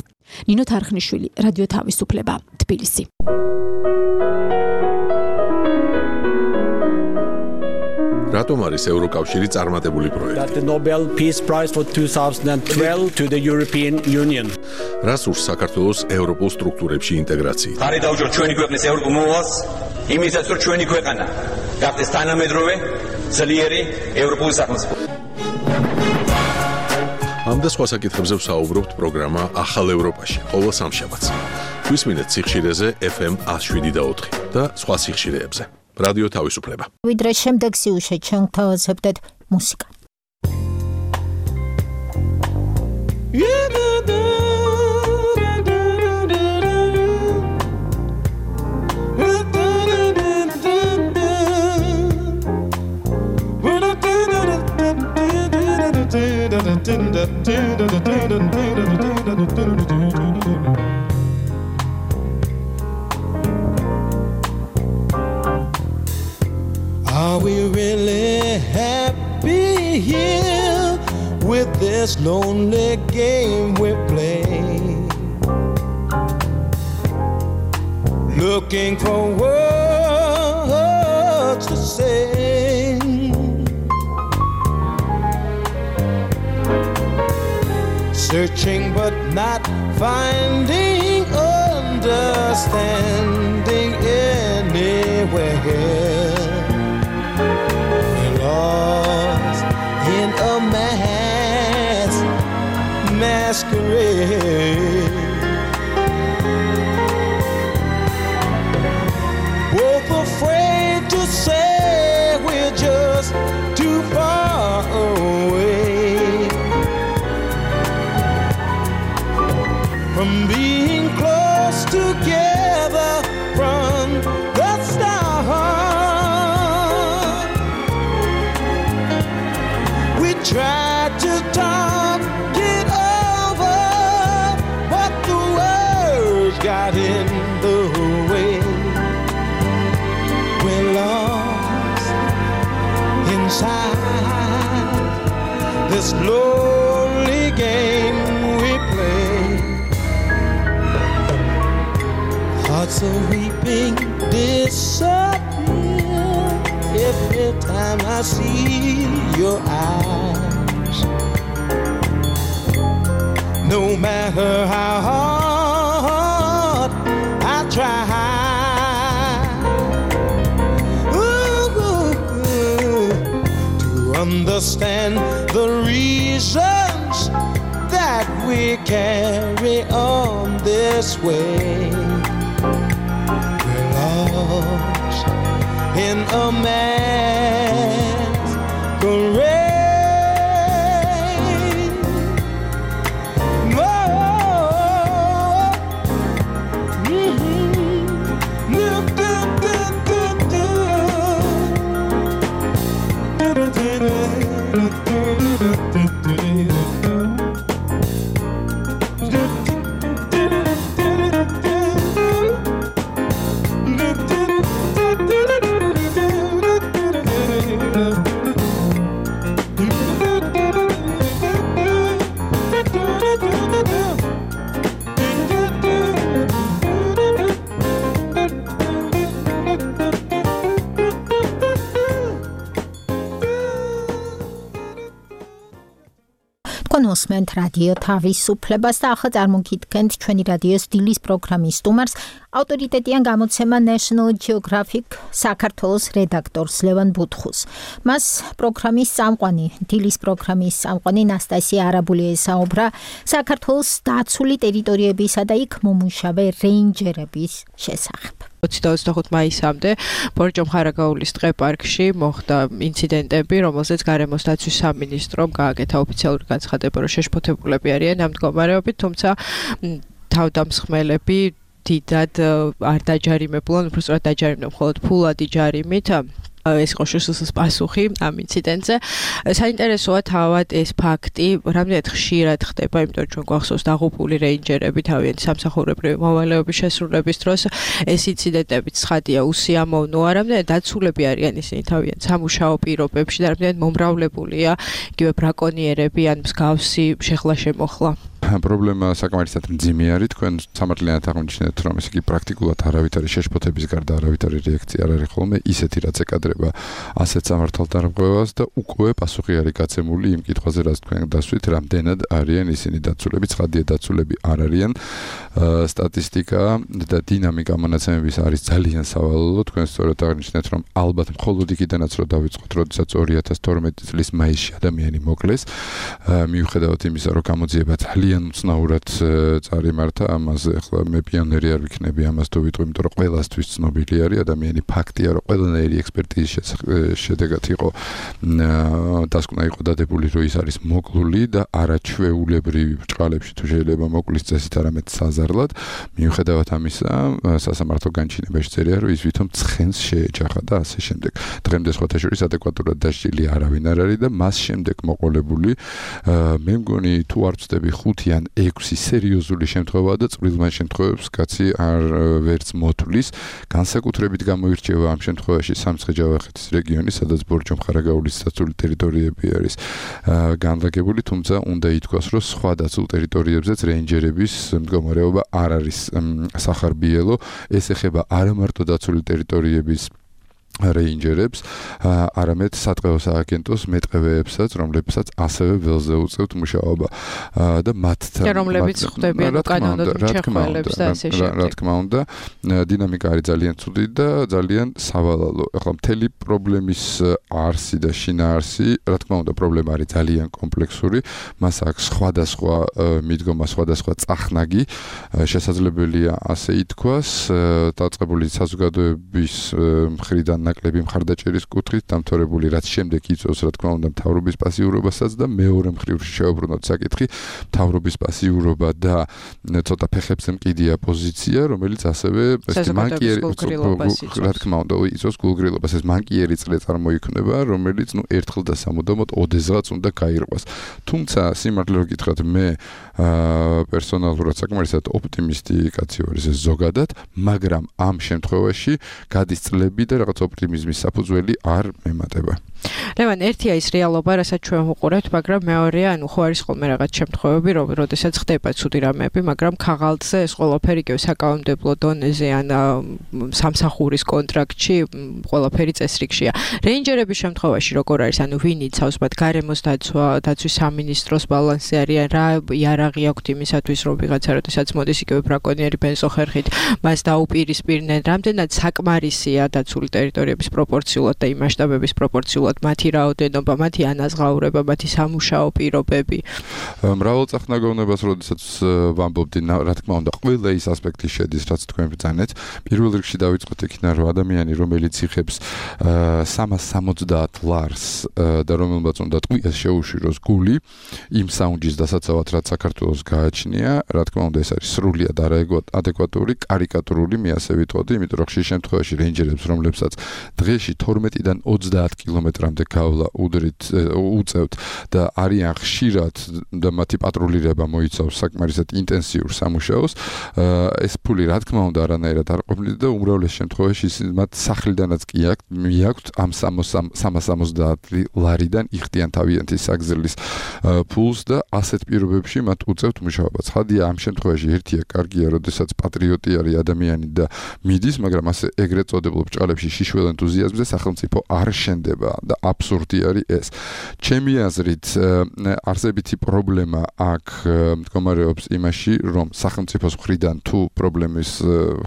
ნინო თარხნიშვილი, რადიო თავისუფლება, თბილისი. რატომ არის ევროკავშირი წარმატებული პროექტი? The Nobel Peace Prize for 2012 to the European Union. რას ურს საქართველოს ევროპულ სტრუქტურებში ინტეგრაციით? ხარი დაუჭიროთ ჩვენი ქვეყნის ევროპულ მოვალს, იმისაც რომ ჩვენი ქვეყანა გახდეს თანამედროვე, ძლიერი ევროპული სახელმწიფო. ამ და სხვა საკითხებზე ვსაუბრობთ პროგრამა ახალ ევროპაში, ყოველ სამშაბათს. გვისმინეთ სიხშირეზე FM 107.4 და სხვა სიხშირეებზე. რადიო თავისუფლება. ვიდრე შემდეგ სიუჟეტ შევთავაზებდეთ მუსიკა. Are we really happy here with this lonely game we play? Looking for words to say, searching but not finding understanding anywhere. Lost in a masquerade, both afraid to say we're just too far away from being close together from the start. We tried to talk it over, but the words got in the way. We're lost inside this lonely game we play. Hearts are weeping, disappear every time I see your eyes. No matter how hard I try, to understand the reasons that we carry on this way. We're lost in a masquerade. თქვენ უსმენთ რადიო თავისუფლებას და ახლა წარმოგიდგენთ ჩვენი რადიოს დილის პროგრამის სტუმარს, ავტორიტეტიან გამოცემა National Geographic საქართველოს რედაქტორს ლევან ბუთხუს. მას პროგრამის წამყვანი, დილის პროგრამის წამყვანი ნასტასია არაბული ესაუბრა საქართველოს დაცული ტერიტორიებისა და იქ მომუშავე რეინჯერების შესახებ. 25 მაისამდე ბორჯომხარაგაულის ტყე-პარკში მოხდა ინციდენტები, რომელზეც გარემოს დაცვის სამინისტრომ გააკეთა ოფიციალური განცხადება, რომ შეშფოთებულები არიან ამ მდგომარეობით, თუმცა თავდამსხმელები დიდად არ დაჯარიმებულან, უბრალოდ დაჯარიმდნენ მხოლოდ ფულადი ჯარიმით. ეს იყო შსს პასუხი ამ ინციდენტზე. საინტერესოა თავად ეს ფაქტი, რამდენად ხშირად ხდება, იმიტომ რომ ჩვენ გვახსოვს დაღუპული რეინჯერები თავიანთი სამსახურებრივი მოვალეობის შესრულების დროს. ეს ინციდენტები ცხადია უსიამოვნოა, რამდენად დაცულები არიან ისინი თავიანთ სამუშაო პირობებში და რამდენად მომრავლებულია იგივე ბრაკონიერები ან მსგავსი შეხლა-შემოხლა. პრობლემა საკმარისად მძიმე არის. თქვენ სამართლიანად აღმოჩნდეთ, რომ ეს იგი პრაქტიკულად არავითარი შეშფოთების გარდა არავითარი რეაქცია არ არის ხოლმე ისეთი, რაც ეკადრება ასეთ სამართალდარღვევას და უკვე პასუხი არის გაცემული იმ კითხვაზე, რაც თქვენ დასვით, რამდენად არიან ისინი დაცულები. ცხადია, დაცულები არ არიან. სტატისტიკა და დინამიკა მონაცემების არის ძალიან სავალალო. თქვენ სწორად აღნიშნეთ, რომ ალბათ მხოლოდ იქიდანაც რომ დავიწყოთ, როდესაც 2012 წლის მაისში ადამიანი მოკლეს, მიუხედავად იმისა, რომ გამოძიება ძალიან უცნაურად წარიმართა, ამაზე ახლა მე პიონერი არ ვიქნები ამას თუ ვიტყვი, იმიტომ რომ ყველასთვის ცნობილი არის, ადამიანი ფაქტია, რომ ყველანაირი ექსპერტიზის შედეგად იყო დასკვნა იყო დადებული, რომ ის არის მოკლული და არაჩვეულებრივი ბრჭყალებში თუ შეიძლება მოკლის წესით, არამედ საზარლად. მიუხედავად ამისა, სასამართლო განჩინებაში წერია, რომ ის ვითომ ცხენს შეეჯახა და ასე შემდეგ. დღემდე სხვათა შორის ადეკვატურად დასჯილი არავინ არ არის და მას შემდეგ მოყოლებული მე მგონი თუ არ ვწდები 5 ან 6 სერიოზული შემთხვევაა და წვრილმან შემთხვევებს კაცი არ ვერც მოთვლის. განსაკუთრებით გამოირჩევა ამ შემთხვევაში სამცხე-ჯავახეთის რეგიონი, სადაც ბორჯომხარაგაულის დაცული ტერიტორიები არის განლაგებული, თუმცა უნდა ითქვას, რომ სხვა დაცულ ტერიტორიებზეც რეინჯერების მდგომარეობა არ არის სახარბიელო. ეს ეხება არა მარტო დაცული ტერიტორიების რეინჯერებს, არამედ სატყეო სააგენტოს მეტყევეებსაც, რომლებსაც ასევე ველზე უწევთ მუშაობა და მათთან რომლებიც ხვდებიან კანონოდ მჩეხველებს და ასე შემდეგ. რა თქმა უნდა, დინამიკა არის ძალიან ცუდი და ძალიან სავალალო. ახლა მთელი პრობლემის არსი და შინაარსი, რა თქმა უნდა, პრობლემა არის ძალიან კომპლექსური, მას აქვს სხვადასხვა მიდგომა, სხვადასხვა წახნაგი, შესაძლებელია ასე ითქვას, დაწყებული საზოგადოების მხრიდან ნაკლები მხარდაჭერის კუთხით დამთავრებული, რაც შემდეგ იწვევს, რა თქმა უნდა, მთავრობის პასიურობასაც და მეორე მხრივ შეუბრუნოთ საკითხი, მთავრობის პასიურობა და ცოტა ფეხებზე მკიდია პოზიცია, რომელიც ასევე რა თქმა უნდა, იწვევს გულგრილობას. ეს მანკიერი წრე წარმოიქმნება, რომელიც ერთხელ და სამუდამოდ ოდესღაც უნდა გაირყვას. თუმცა სიმართლე რომ გითხრათ, მე პერსონალურად საკმარისად ოპტიმისტი კაცი ვარ, ეს ზოგადად, მაგრამ ამ შემთხვევაში გადის წლები და რაღაც ოპტიმიზმის საფუძველი არ მემატება. ლევან, ერთია ის რეალობა, რასაც ჩვენ ვუყურებთ, მაგრამ მეორეა, ხო არის ხოლმე რაღაც შემთხვევები, როდესაც ხდება ცუდი რამეები, მაგრამ ქაღალდზე ეს ყველაფერი კიდევ საკანონმდებლო დონეზე ან სამსახურის კონტრაქტში ყველაფერი წესრიგშია. რეინჯერების შემთხვევაში როგორ არის, ანუ ვინ იცავს მათ გარემოს დაცვის სამინისტროს ბალანსი არის, რა იარაღი აქვთ იმისათვის, რომ ვიღაცა როდესაც მოდის იგივე ბრაკონიერი ბენზოხერხით, მას დაუპირისპირდნენ, რამდენად საკმარისია დაცული ტერიტორიების პროპორციულად და იმ მასშტაბების პროპორციულად მათი რაოდენობა, მათი ანაზღაურება, მათი სამუშაო პირობები. მრავალწახნაგოვნებას, როდესაც ვამბობდი, რა თქმა უნდა, ყველა ის ასპექტი შედის, რაც თქვენ ბრძანეთ. პირველ რიგში დავიწყოთ იქიდან, რომ ადამიანი, რომელიც იხებს 360 ლარს და რომელმაც უნდა ტყვიას შეუშვიროს გული, იმ საუნჯის დასაცავად, რაც საქართველოს გააჩნია, რა თქმა უნდა, ეს არის სრულიად არაადეკვატური, კარიკატურული, მე ასე ვიტყოდი, იმიტომ რომ ხშირ შემთხვევაში რეინჯერებს, რომლებსაც დღეში 12-დან 30 კილომეტრამდე გავლა უწევთ და არიან ხშირად და მათი პატრულირება მოიცავს საკმარისად ინტენსიურ სამუშაოს, ეს ფული რა თქმა უნდა არანაირად არ ყოფნიდა და უმრავლეს შემთხვევაში მათ სახლიდანაც კი მიაქვთ ამ 360 ლარიდან იხდიან თავიანთი საგზელნის ფულს და ასეთ პირობებში მათ უწევთ მუშაობა. ცხადია, ამ შემთხვევაში ერთია კარგია, როდესაც პატრიოტი არის ადამიანი და მიდის, მაგრამ ასე ეგრეთ წოდებულ ბრჭყალებში შიშველ ენთუზიაზმზე სახელმწიფო არ შენდება და აბსურდი არის ეს. ჩემი აზრით, არსებითი პრობლემა აქ მდგომარეობს იმაში, რომ სახელმწიფოს მხრიდან თუ პრობლემის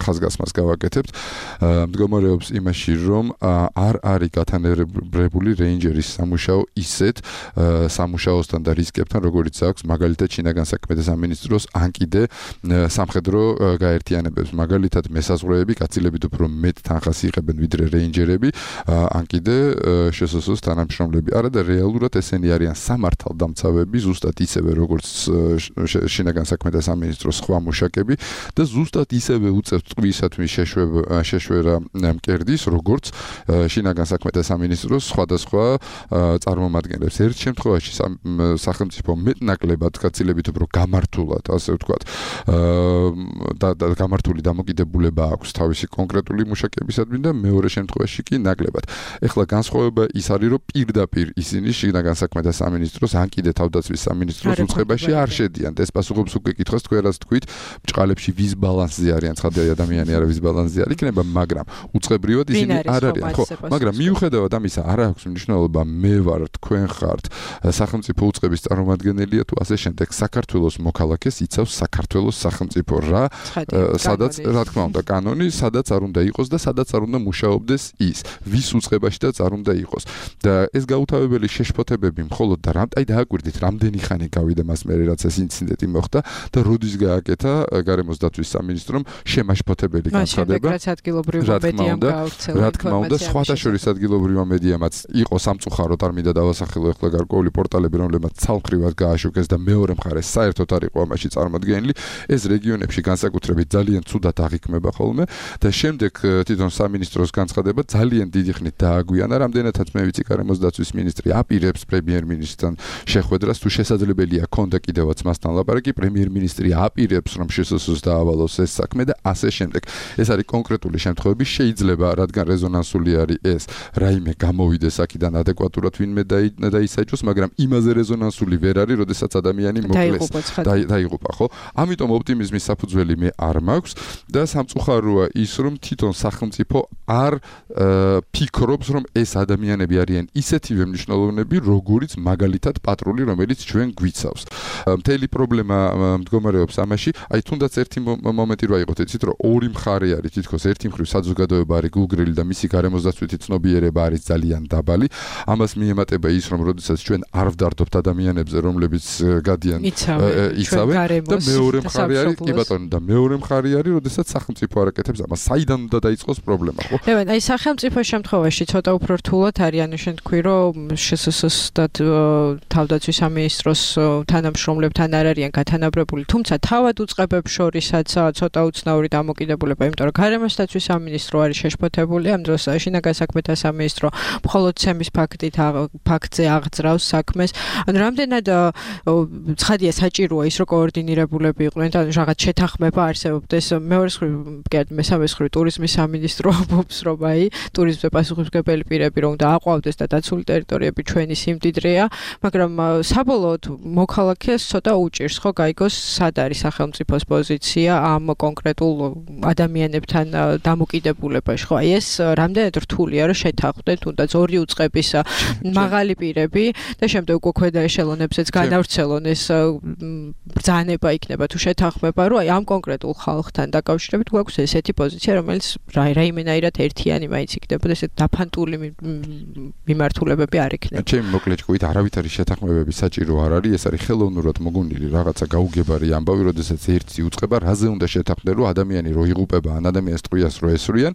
ხაზგასმას გავაკეთებთ, მდგომარეობს იმაში, რომ არ არის გათანაბრებული რეინჯერის სამუშაო ისეთ სამუშაოსთან და რისკებთან, როგორიც აქვს მაგალითად შინაგან საქმეთა სამინისტროს ან კიდე სამხედრო გაერთიანებებს. მაგალითად მესაზღვრეები გაცილებით უფრო მეტ თანხას იღებენ ვიდრე რეინჯერები, ან კიდე შსს-ს თანამშრომლები. არა და რეალურად ესენი არიან სამართალდამცავები, ზუსტად ისევე როგორც შინაგან საქმეთა სამინისტროს სხვა მუშაკები და ზუსტად ისევე უწევთ ტყვიისათმის შეშვერა მკერდის, როგორც შინაგან საქმეთა სამინისტროს სხვადასხვა წარმომადგენლებს. ერთ შემთხვევაში სახელმწიფო მეტნაკლებად გაცილებით უფრო გამართულად, ასე ვთქვათ, და გამართული დამოკიდებულება აქვს თავისი კონკრეტული მუშაკებისადმი და მეორე შემთხვევაში კი ნაკლებად. ეხლა განსხვავება ის არის, რომ პირდაპირ ისინი შინაგან საქმეთა სამინისტროს ან კიდე თავდაცვის სამინისტროს უწყებაში არ შედიან. ეს პასუხობს უკვე კითხავს თქვენ რაც თქვით, ბჭყალებში ვის ბალანსზე არიან, ცხადია ადამიანი არა ვის ბალანსზე არ იქნება, მაგრამ უწყებრივად ისინი არ არიან. ხო, მაგრამ მიუხედავად ამისა, არ აქვს მნიშვნელობა მე ვარ, თქვენ ხართ, სახელმწიფო უწყების წარმომადგენელია თუ ასე შემდეგ. საქართველოს მოქალაქეს იცავს საქართველოს სახელმწიფო რა, სადაც რა თქმა უნდა კანონი, სადაც არ უნდა იყოს და სადაც არ უნდა მუშაობდეს ის, ვის უწყებაშიც არ უნდა იყოს. და ეს გაუთავებელი შეშფოთებები მხოლოდ და აი დააკვირდით, რამდენი ხანი გავიდა მას მერე რაც ეს ინციდენტი მოხდა და როდის გააკეთა გარემოს დაცვის სამინისტრომ შემაშფოთებელი განცხადება. რა თქმა უნდა, სხვათა შორის ადგილობრივმა მედიამაც იყო სამწუხაროდ არ მინდა დავასახელო ახლა გარკვეული პორტალები, რომლებმაც ცალმხრივად გააშუქეს და მეორე მხარეს საერთოდ არ იყო ამაში წარმოდგენილი. ეს რეგიონებში განსაკუთრებით ძალიან ცუდად აღიქმება ხოლმე და შემდეგ თვითონ სამინისტროს განცხადება ძალიან დიდი ხნით დააგვიანა, რამდენადაც მე ვიცი გარემოს დაცვის მინისტრი აპირებს პრემიერ-მინისტრთან შეხვედრას, თუ შესაძლებელია ქონდა კიდევაც მასთან ლაპარაკი, პრემიერ-მინისტრი აპირებს რომ შსს-ს დაავალოს ეს საქმე და ასე შემდეგ. ეს არის კონკრეტული შემთხვევები, შეიძლება რადგან რეზონანსული არის ეს, რაიმე გამოვიდეს აქედან ადეკვატურად ვინმე დაისაჯოს, მაგრამ იმაზე რეზონანსული ვერ არის, როდესაც ადამიანი მოკლეს. დაიღუპა, ხო? ამიტომ ოპტიმიზმის საფუძველი მე არ მაქვს და სამწუხაროა ის, რომ თვითონ სახელმწიფო არ ფიქრობს, რომ ეს ადამიანები არიან ისეთივე მნიშვნელოვნები, როგორიც მაგალითად პატრული, რომელიც ჩვენ გვიცავს. მთელი პრობლემა მდგომარეობს ამაში, აი თუნდაც ერთი მომენტი რა იყოთ, იცით, რომ ორი მხარე არის, თითქოს ერთი მხრივ საზოგადოება არის გულგრილი და მისი გარემოსდაცვითი ცნობიერება არის ძალიან დაბალი. ამას მიემატება ის, რომ როდესაც ჩვენ არ ვდარდობთ ადამიანებზე, რომლებიც გადიან იცავენ და მეორე მხარე არის, კი ბატონო, და მეორე მხარე არის, როდესაც სახელმწიფო არაკეთებს ამას. საიდან უნდა დაიწყოს პრობლემა, ხო? აი სახელმწიფო შემთხვევაში ცოტა უფრო რთულად არის, ანუ შენ თქვი, რომ შსს-ს და თავდაცვის სამინისტროს თანამშრომლებთან არ არიან გათანაბრებული, თუმცა თავად უწყებებს შორისაც ცოტა უცნაური დამოკიდებულება, იმიტომ რომ გარემოს დაცვის სამინისტრო არის შეშფოთებული, ამ დროს შინაგან საქმეთა სამინისტრო მხოლოდ ცემის ფაქტზე აღძრავს საქმეს. ანუ რამდენად ცხადია საჭიროა ის, რომ კოორდინირებულები იყვნენ და რაღაც შეთანხმება არსებობდეს. მეორე მხრივ, მესამე მხრივ ტურიზმის სამინისტრო ამბობს, რომ აი ტურიზმზე პასუხისმგებელი პირები რომ უნდა აყვავდეს და დაცული ტერიტორიები ჩვენი სიმდიდრეა, მაგრამ საბოლოოდ მოქალაქეს ცოტა უჭირს ხო გაიგოს სად არის სახელმწიფოს პოზიცია ამ კონკრეტულ ადამიანებთან დამოკიდებულებაში, ხო? აი ეს რამდენად რთულია რომ შეთანხმდეთ თუნდაც ორი უწყების მაღალი პირები და შემდეგ უკვე ქვედა ეშელონებზეც განავრცელონ ეს ბრძანება იქნება თუ შეთანხმება, რომ აი ამ კონკრეტულ ხალხთან დაკავშირებით გვაქვს ესეთი პოზიცია, რომელიც რაიმენაირად ერთიანი მაინც იქნებოდა, ესეთ დაფანტული მიმართულებები არ იქნება. ჩემი მოკლე ჭკვით არავითარი შეთანხმებები საჭირო არ არის, ეს არის ხელოვნურად მოგონილი რაღაცა გაუგებარი ამბავი, როდესაც ერთი უწყება რაზე უნდა შეთანხმდეს, რომ ადამიანი რო იღუპება, ან ადამიანს ტყვიას რო ესვრიან,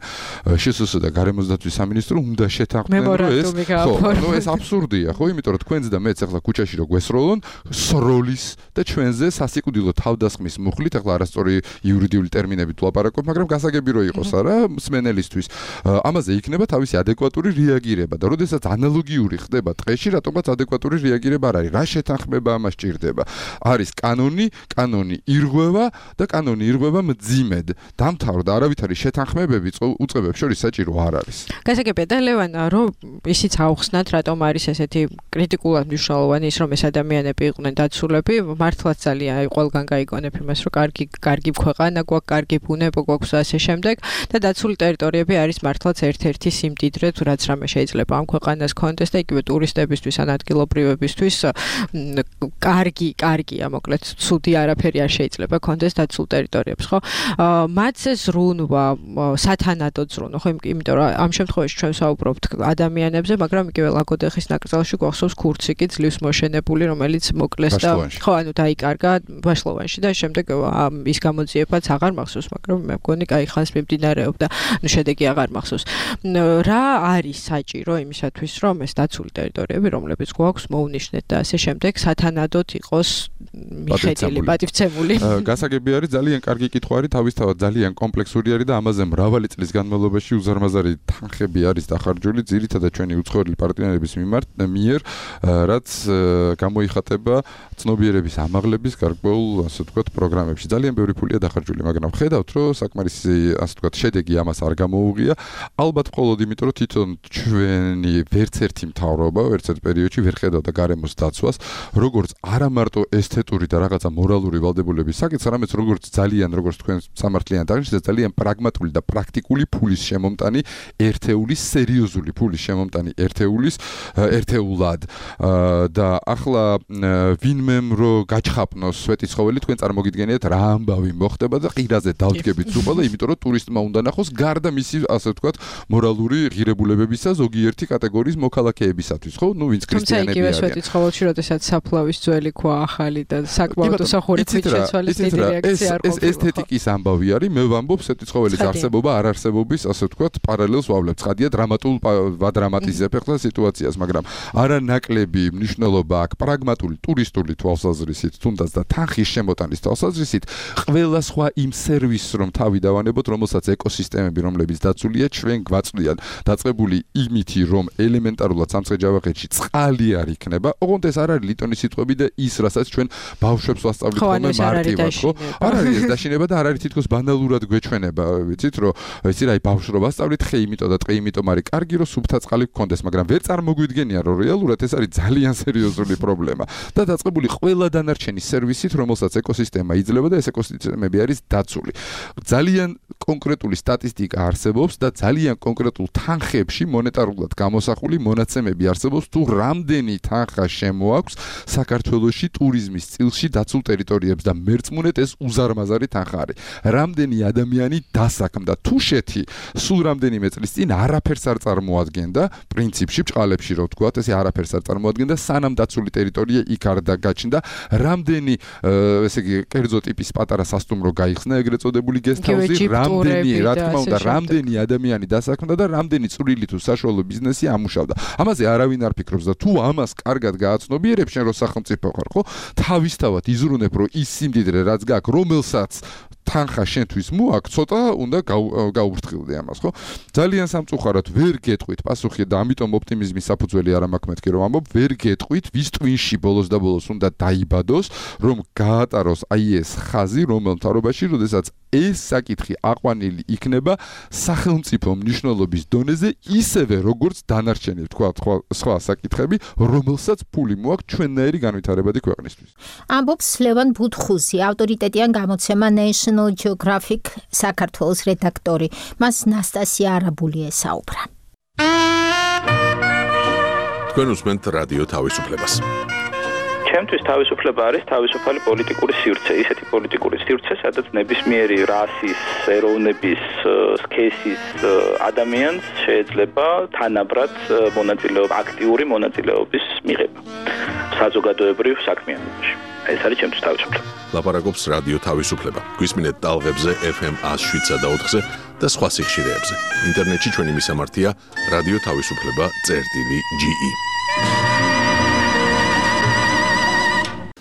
შსს და გარემოს დაცვის სამინისტრო უნდა შეთანხმდნენ, რომ ეს ხო, ეს აბსურდია, ხო, იმიტომ რომ თქვენს და მეც ახლა ქუჩაში რო გვესროლონ, სროლის და ჩვენზე სასიკვდილო თავდასხმის მუხლით, ახლა არასწორი იურიდიული ტერმინებით ვლაპარაკობ, მაგრამ გასაგები რო იყოს არა მსმენელისთვის. ამაზე იქნება თავისი ადეკვატური რეაგირება და როდესაც ანალოგიური ხდება ტყეში, რატომაც ადეკვატური რეაგირება არ არის. რა შეთანხმება ამას ჭირდება? არის კანონი ირღვევა და კანონი ირღვევა მძიმედ. დამთავრდა არავითარი შეთანხმებები უწყებებს შორის საჭირო არ არის. გასაგებია და ლევან, რომ ისიც აუხსნათ, რატომ არის ესეთი კრიტიკულად მნიშვნელოვანი ის, რომ ეს ადამიანები იყვნენ დაცულები, მართლაც ძალიან ყველგან გაიგონებ იმას, რომ კარგი ქვეყანა გვაქვს, კარგი ბუნება გვაქვს ასე შემდეგ და დაცული ტერიტორიები არის მართლაც ერთ-ერთი სიმდიდრე, თუ რაც რამე შეიძლება შესაძლებლობა ამ ქვეყანას კონდეს და იგივე ტურისტებისთვის ან ადგილობრივებისთვის კარგია, მოკლედ, ცუდი არაფერი არ შეიძლება კონდეს დაცულ ტერიტორიებს, ხო? მათ ეს ზრუნვა, სათანადო ზრუნვა, ხო, იმიტომ რომ ამ შემთხვევაში ჩვენ ვსაუბრობთ ადამიანებზე, მაგრამ იგივე ლაგოდეხის ნაკრძალში გვახსოვს ქურციკი ძლივს მოშენებული, რომელიც მოკლეს და ხო, ანუ დაიკარგა ბაშლოვანში და შემდეგ ის გამოძიებაც აღარ მახსოვს, მაგრამ მე მგონი კაი ხანს მიმდინარეობდა, ну შედეგი აღარ მახსოვს. რა არის საჭირო იმისათვის, რომ ეს დაცული ტერიტორიები, რომლებიც გვაქვს, მოუნიშნეთ და ასე შემდეგ, სათანადოდ იყოს მიხედვილი, პატივცემული. გასაგები არის ძალიან კარგი კითხვა არის, თავისთავად ძალიან კომპლექსური არის და ამაზე მრავალი წლის განმავლობაში უზარმაზარი თანხები არის დახარჯული ძირითადად ჩვენი უცხოელი პარტნიორების მიერ, რაც გამოიხატება ცნობიერების ამაღლების გარკვეულ, ასე ვთქვათ, პროგრამებში. ძალიან ბევრი ფულია დახარჯული, მაგრამ ხედავთ, რომ საკმარისი, ასე ვთქვათ, შედეგი ამას არ გამოუღია. ალბათ მხოლოდ იმიტომ, რომ თვითონ ჩვენი ვერც ერთი მთავრობა, ვერც ერთ პერიოდში ვერ ხედავდა გარემოს დაცვას, როგორც არა მარტო ესთეტური და რაღაცა მორალური ვალდებულების საკითხს, არამედ როგორც თქვენ სამართლიანად აღნიშნეთ, ძალიან პრაგმატული და პრაქტიკული ფულის შემომტანი ერთეულის, სერიოზული ფულის შემომტანი ერთეულად და ახლა ვინმემ რო გაჩხაპნოს სვეტიცხოველი, თქვენ წარმოგიდგენიათ რა ამბავი მოხდება და ყირაზე დავდგებით უყოლა, იმიტომ რომ ტურისტმა უნდა ნახოს გარდა მისი, ასე ვთქვათ, მორალური ღირებულებებისა ზოგიერთი კატეგორიის მოქალაქეებისათვის, ხო? ნუ ვინც ქრისტიანები არიან. თუმცა იგივე სვეტიცხოველში, როდესაც საფლავის ძველი ქვა ახალი და საკმაოდ უსახური ქვით შეცვალეს დიდი რეაქცია არ ყოფილა. ესთეტიკის ამბავი არის, მე ვამბობ სვეტიცხოველის არსებობა, არ არსებობის, ასე ვთქვათ, პარალელს ვავლებ. ცხადია ვადრამატიზებ ახლა სიტუაციას, მაგრამ არა ნაკლები მნიშვნელობა აქვს პრაგმატული ტურისტული თვალსაზრისით, თუნდაც და თანხის შემოტანის თვალსაზრისით, ყველა სხვა იმ სერვისს რომ თავი დავანებოთ, რომელსაც ეკოსისტემები, რომლებიც დაცულია, ჩვენ გვაწვდიან დაწყებული იმითი, რომ ელემენტარულად სამცხე-ჯავახეთში წყალი არ იქნება, ოღონდ ეს არ არის ლიტონის სიტყვები და ის, რასაც ჩვენ ბავშვებს ვასწავლით ხოლმე მარტივად, ხო? არ არის ეს დაშინება და არ არის თითქოს ბანალურად გვეჩვენება, ვიცით, რომ იცი რა, ბავშვს რო ვასწავლით, ხე იმიტომ და ტყე იმიტომ არის კარგი, რომ სუფთა წყალი გქონდეს, მაგრამ ვერ წარმოგვიდგენია, რომ რეალურად ეს არის ძალიან სერიოზული პრობლემა. და დაწყებული ყველა დანარჩენი სერვისით, რომელსაც ეკოსისტემა იძლევა და ეს ეკოსისტემები არის დაცული. ძალიან კონკრეტული სტატისტიკა არსებობს და ძალიან კონკრეტულ თანხებში მონეტარულად გამოსახული მონაცემები არსებობს, თუ რამდენი თანხა შემოაქვს საქართველოში ტურიზმის წილში დაცულ ტერიტორიებს და მერწმუნეთ ეს უზარმაზარი თანხა არის. რამდენი ადამიანი დასაქმდა თუშეთი სულ რამდენიმე წლის წინ არაფერს არ წარმოადგენდა, პრინციპში ბჭყალებში რო ვთქვათ, ესე არაფერს არ წარმოადგენდა, სანამ დაცული ტერიტორია იქ არ დაგაჩნდა, რამდენი ესე იგი კერძო ტიპის პატარა სასტუმრო გაიხსნა, ეგრეთ წოდებული გესტჰაუსი, რამდენი, რა თქმა უნდა, რამდენი ადამიანი დასაქმდა და რამდენი წვრილი თუ საშუალო ბიზნესი ამუშავდა. ამაზე არავინ არ ფიქრობს და თუ ამას კარგად გააცნობიერებ შენ რო სახელმწიფო ხარ, ხო? თავისთავად იზრუნებ, რომ ის სიმდიდრე რაც გაქვს, რომელსაც თანხა შენთვის მოაქვს, ცოტა უნდა გაუფრთხილდე ამას, ხო? ძალიან სამწუხაროდ ვერ გეტყვით პასუხი და ამიტომ ოპტიმიზმის საფუძველი არ მაქვს მეთქი რომ ამბობ, ვერ გეტყვით ვის ტვინში ბოლოს და ბოლოს უნდა დაიბადოს, რომ გაატაროს აი ეს ხაზი, რომელ მთავრობაში, როდესაც ეს საკითხი აყვანილი იქნება სახელმწიფო მნიშვნელობის დონეზე, ისევე როგორც დანარჩენი, თქვა სხვა საკითხები, რომელსაც ფული მოაქვს ჩვენნაირი განვითარებადი ქვეყნისთვის. ამბობს ლევან ბუთხუზი, ავტორიტეტიან გამოცემა National Geographic საქართველოს რედაქტორი. მას ნასტასია არაბული ესაუბრა. თქვენ უსმენთ რადიო თავისუფლებას. ჩემთვის თავისუფლება არის თავისუფალი პოლიტიკური სივრცე, ისეთი პოლიტიკური სივრცე, სადაც ნებისმიერი რასის, ეროვნების, სქესის ადამიანს შეიძლება თანაბრად აქტიური მონაწილეობის მიღება საზოგადოებრივ საქმიანობაში. ეს არის ჩემთვის თავისუფლება. ლაპარაკობს რადიო თავისუფლება. გვისმინეთ ტალღებზე FM 107 და 4-ზე და სხვა სიხშირეებზე. ინტერნეტში ჩვენი მისამართია radioთავისუფლება.ge.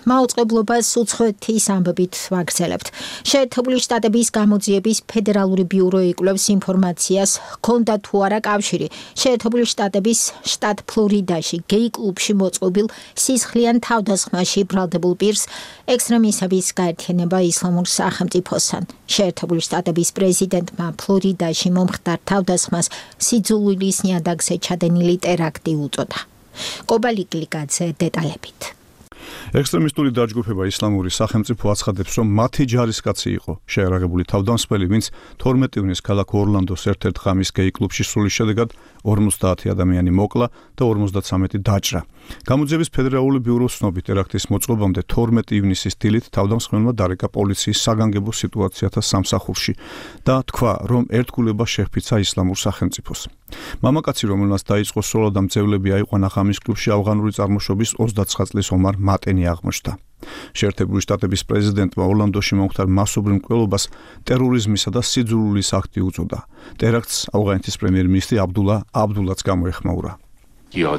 მაუწყებლობას უცხოეთის ამბებით ვაგრძელებთ. შეერთებული შტატების გამოძიების ფედერალური ბიურო იკვლევს ინფორმაციას, ჰქონდა თუ არა კავშირი შეერთებული შტატების შტატ ფლორიდაში გეი კლუბში მოწყობილ სისხლიან თავდასხმაში ბრალდებულ პირს ექსტრემისტების გაერთიანება ისლამურ სახელმწიფოსთან. შეერთებული შტატების პრეზიდენტმა ფლორიდაში მომხდარ თავდასხმას სიძულვილის ნიადაგზე ჩადენილი ტერაქტი უწოდა. კობალიკლიკაძე დეტალებით. ექსტრემისტული დაჯგუფება ისლამური სახელმწიფო აცხადებს, რომ მათი ჯარისკაცი იყო შეერაღებული თავდამსხმელი, ვინც 12 ივნისს ქალაქ ორლანდოს ერთ-ერთ ღამის გეი კლუბში სრულის შედეგად 50 ადამიანი მოკლა და 53 დაჭრა. გამოძიების ფედერალური ბიუროს ცნობით, ტერაქტის მოწყობამდე 12 ივნისის დილით თავდამსხმელმა დარეკა პოლიციის საგანგებო სიტუაციათა სამსახურში და თქვა, რომ ერთგულება შეჰფიცა ისლამურ სახელმწიფოს. მამაკაცი, რომელმაც დაიწყო სოლა და მძევლები აიყვანა ღამის კლუბში ავღანური წარმოშობის 29 წლის ომარ მატენი აღმოჩნდა. შეერთებული შტატების პრეზიდენტმა ორლანდოში მომხდარ მასობრივ მკვლელობას ტერორიზმისა და სიძულვილის აქტი უწოდა. ტერაქტს ავღანეთის პრემიერ-მინისტრი აბდულაც გამოეხმაურა. ჩვენ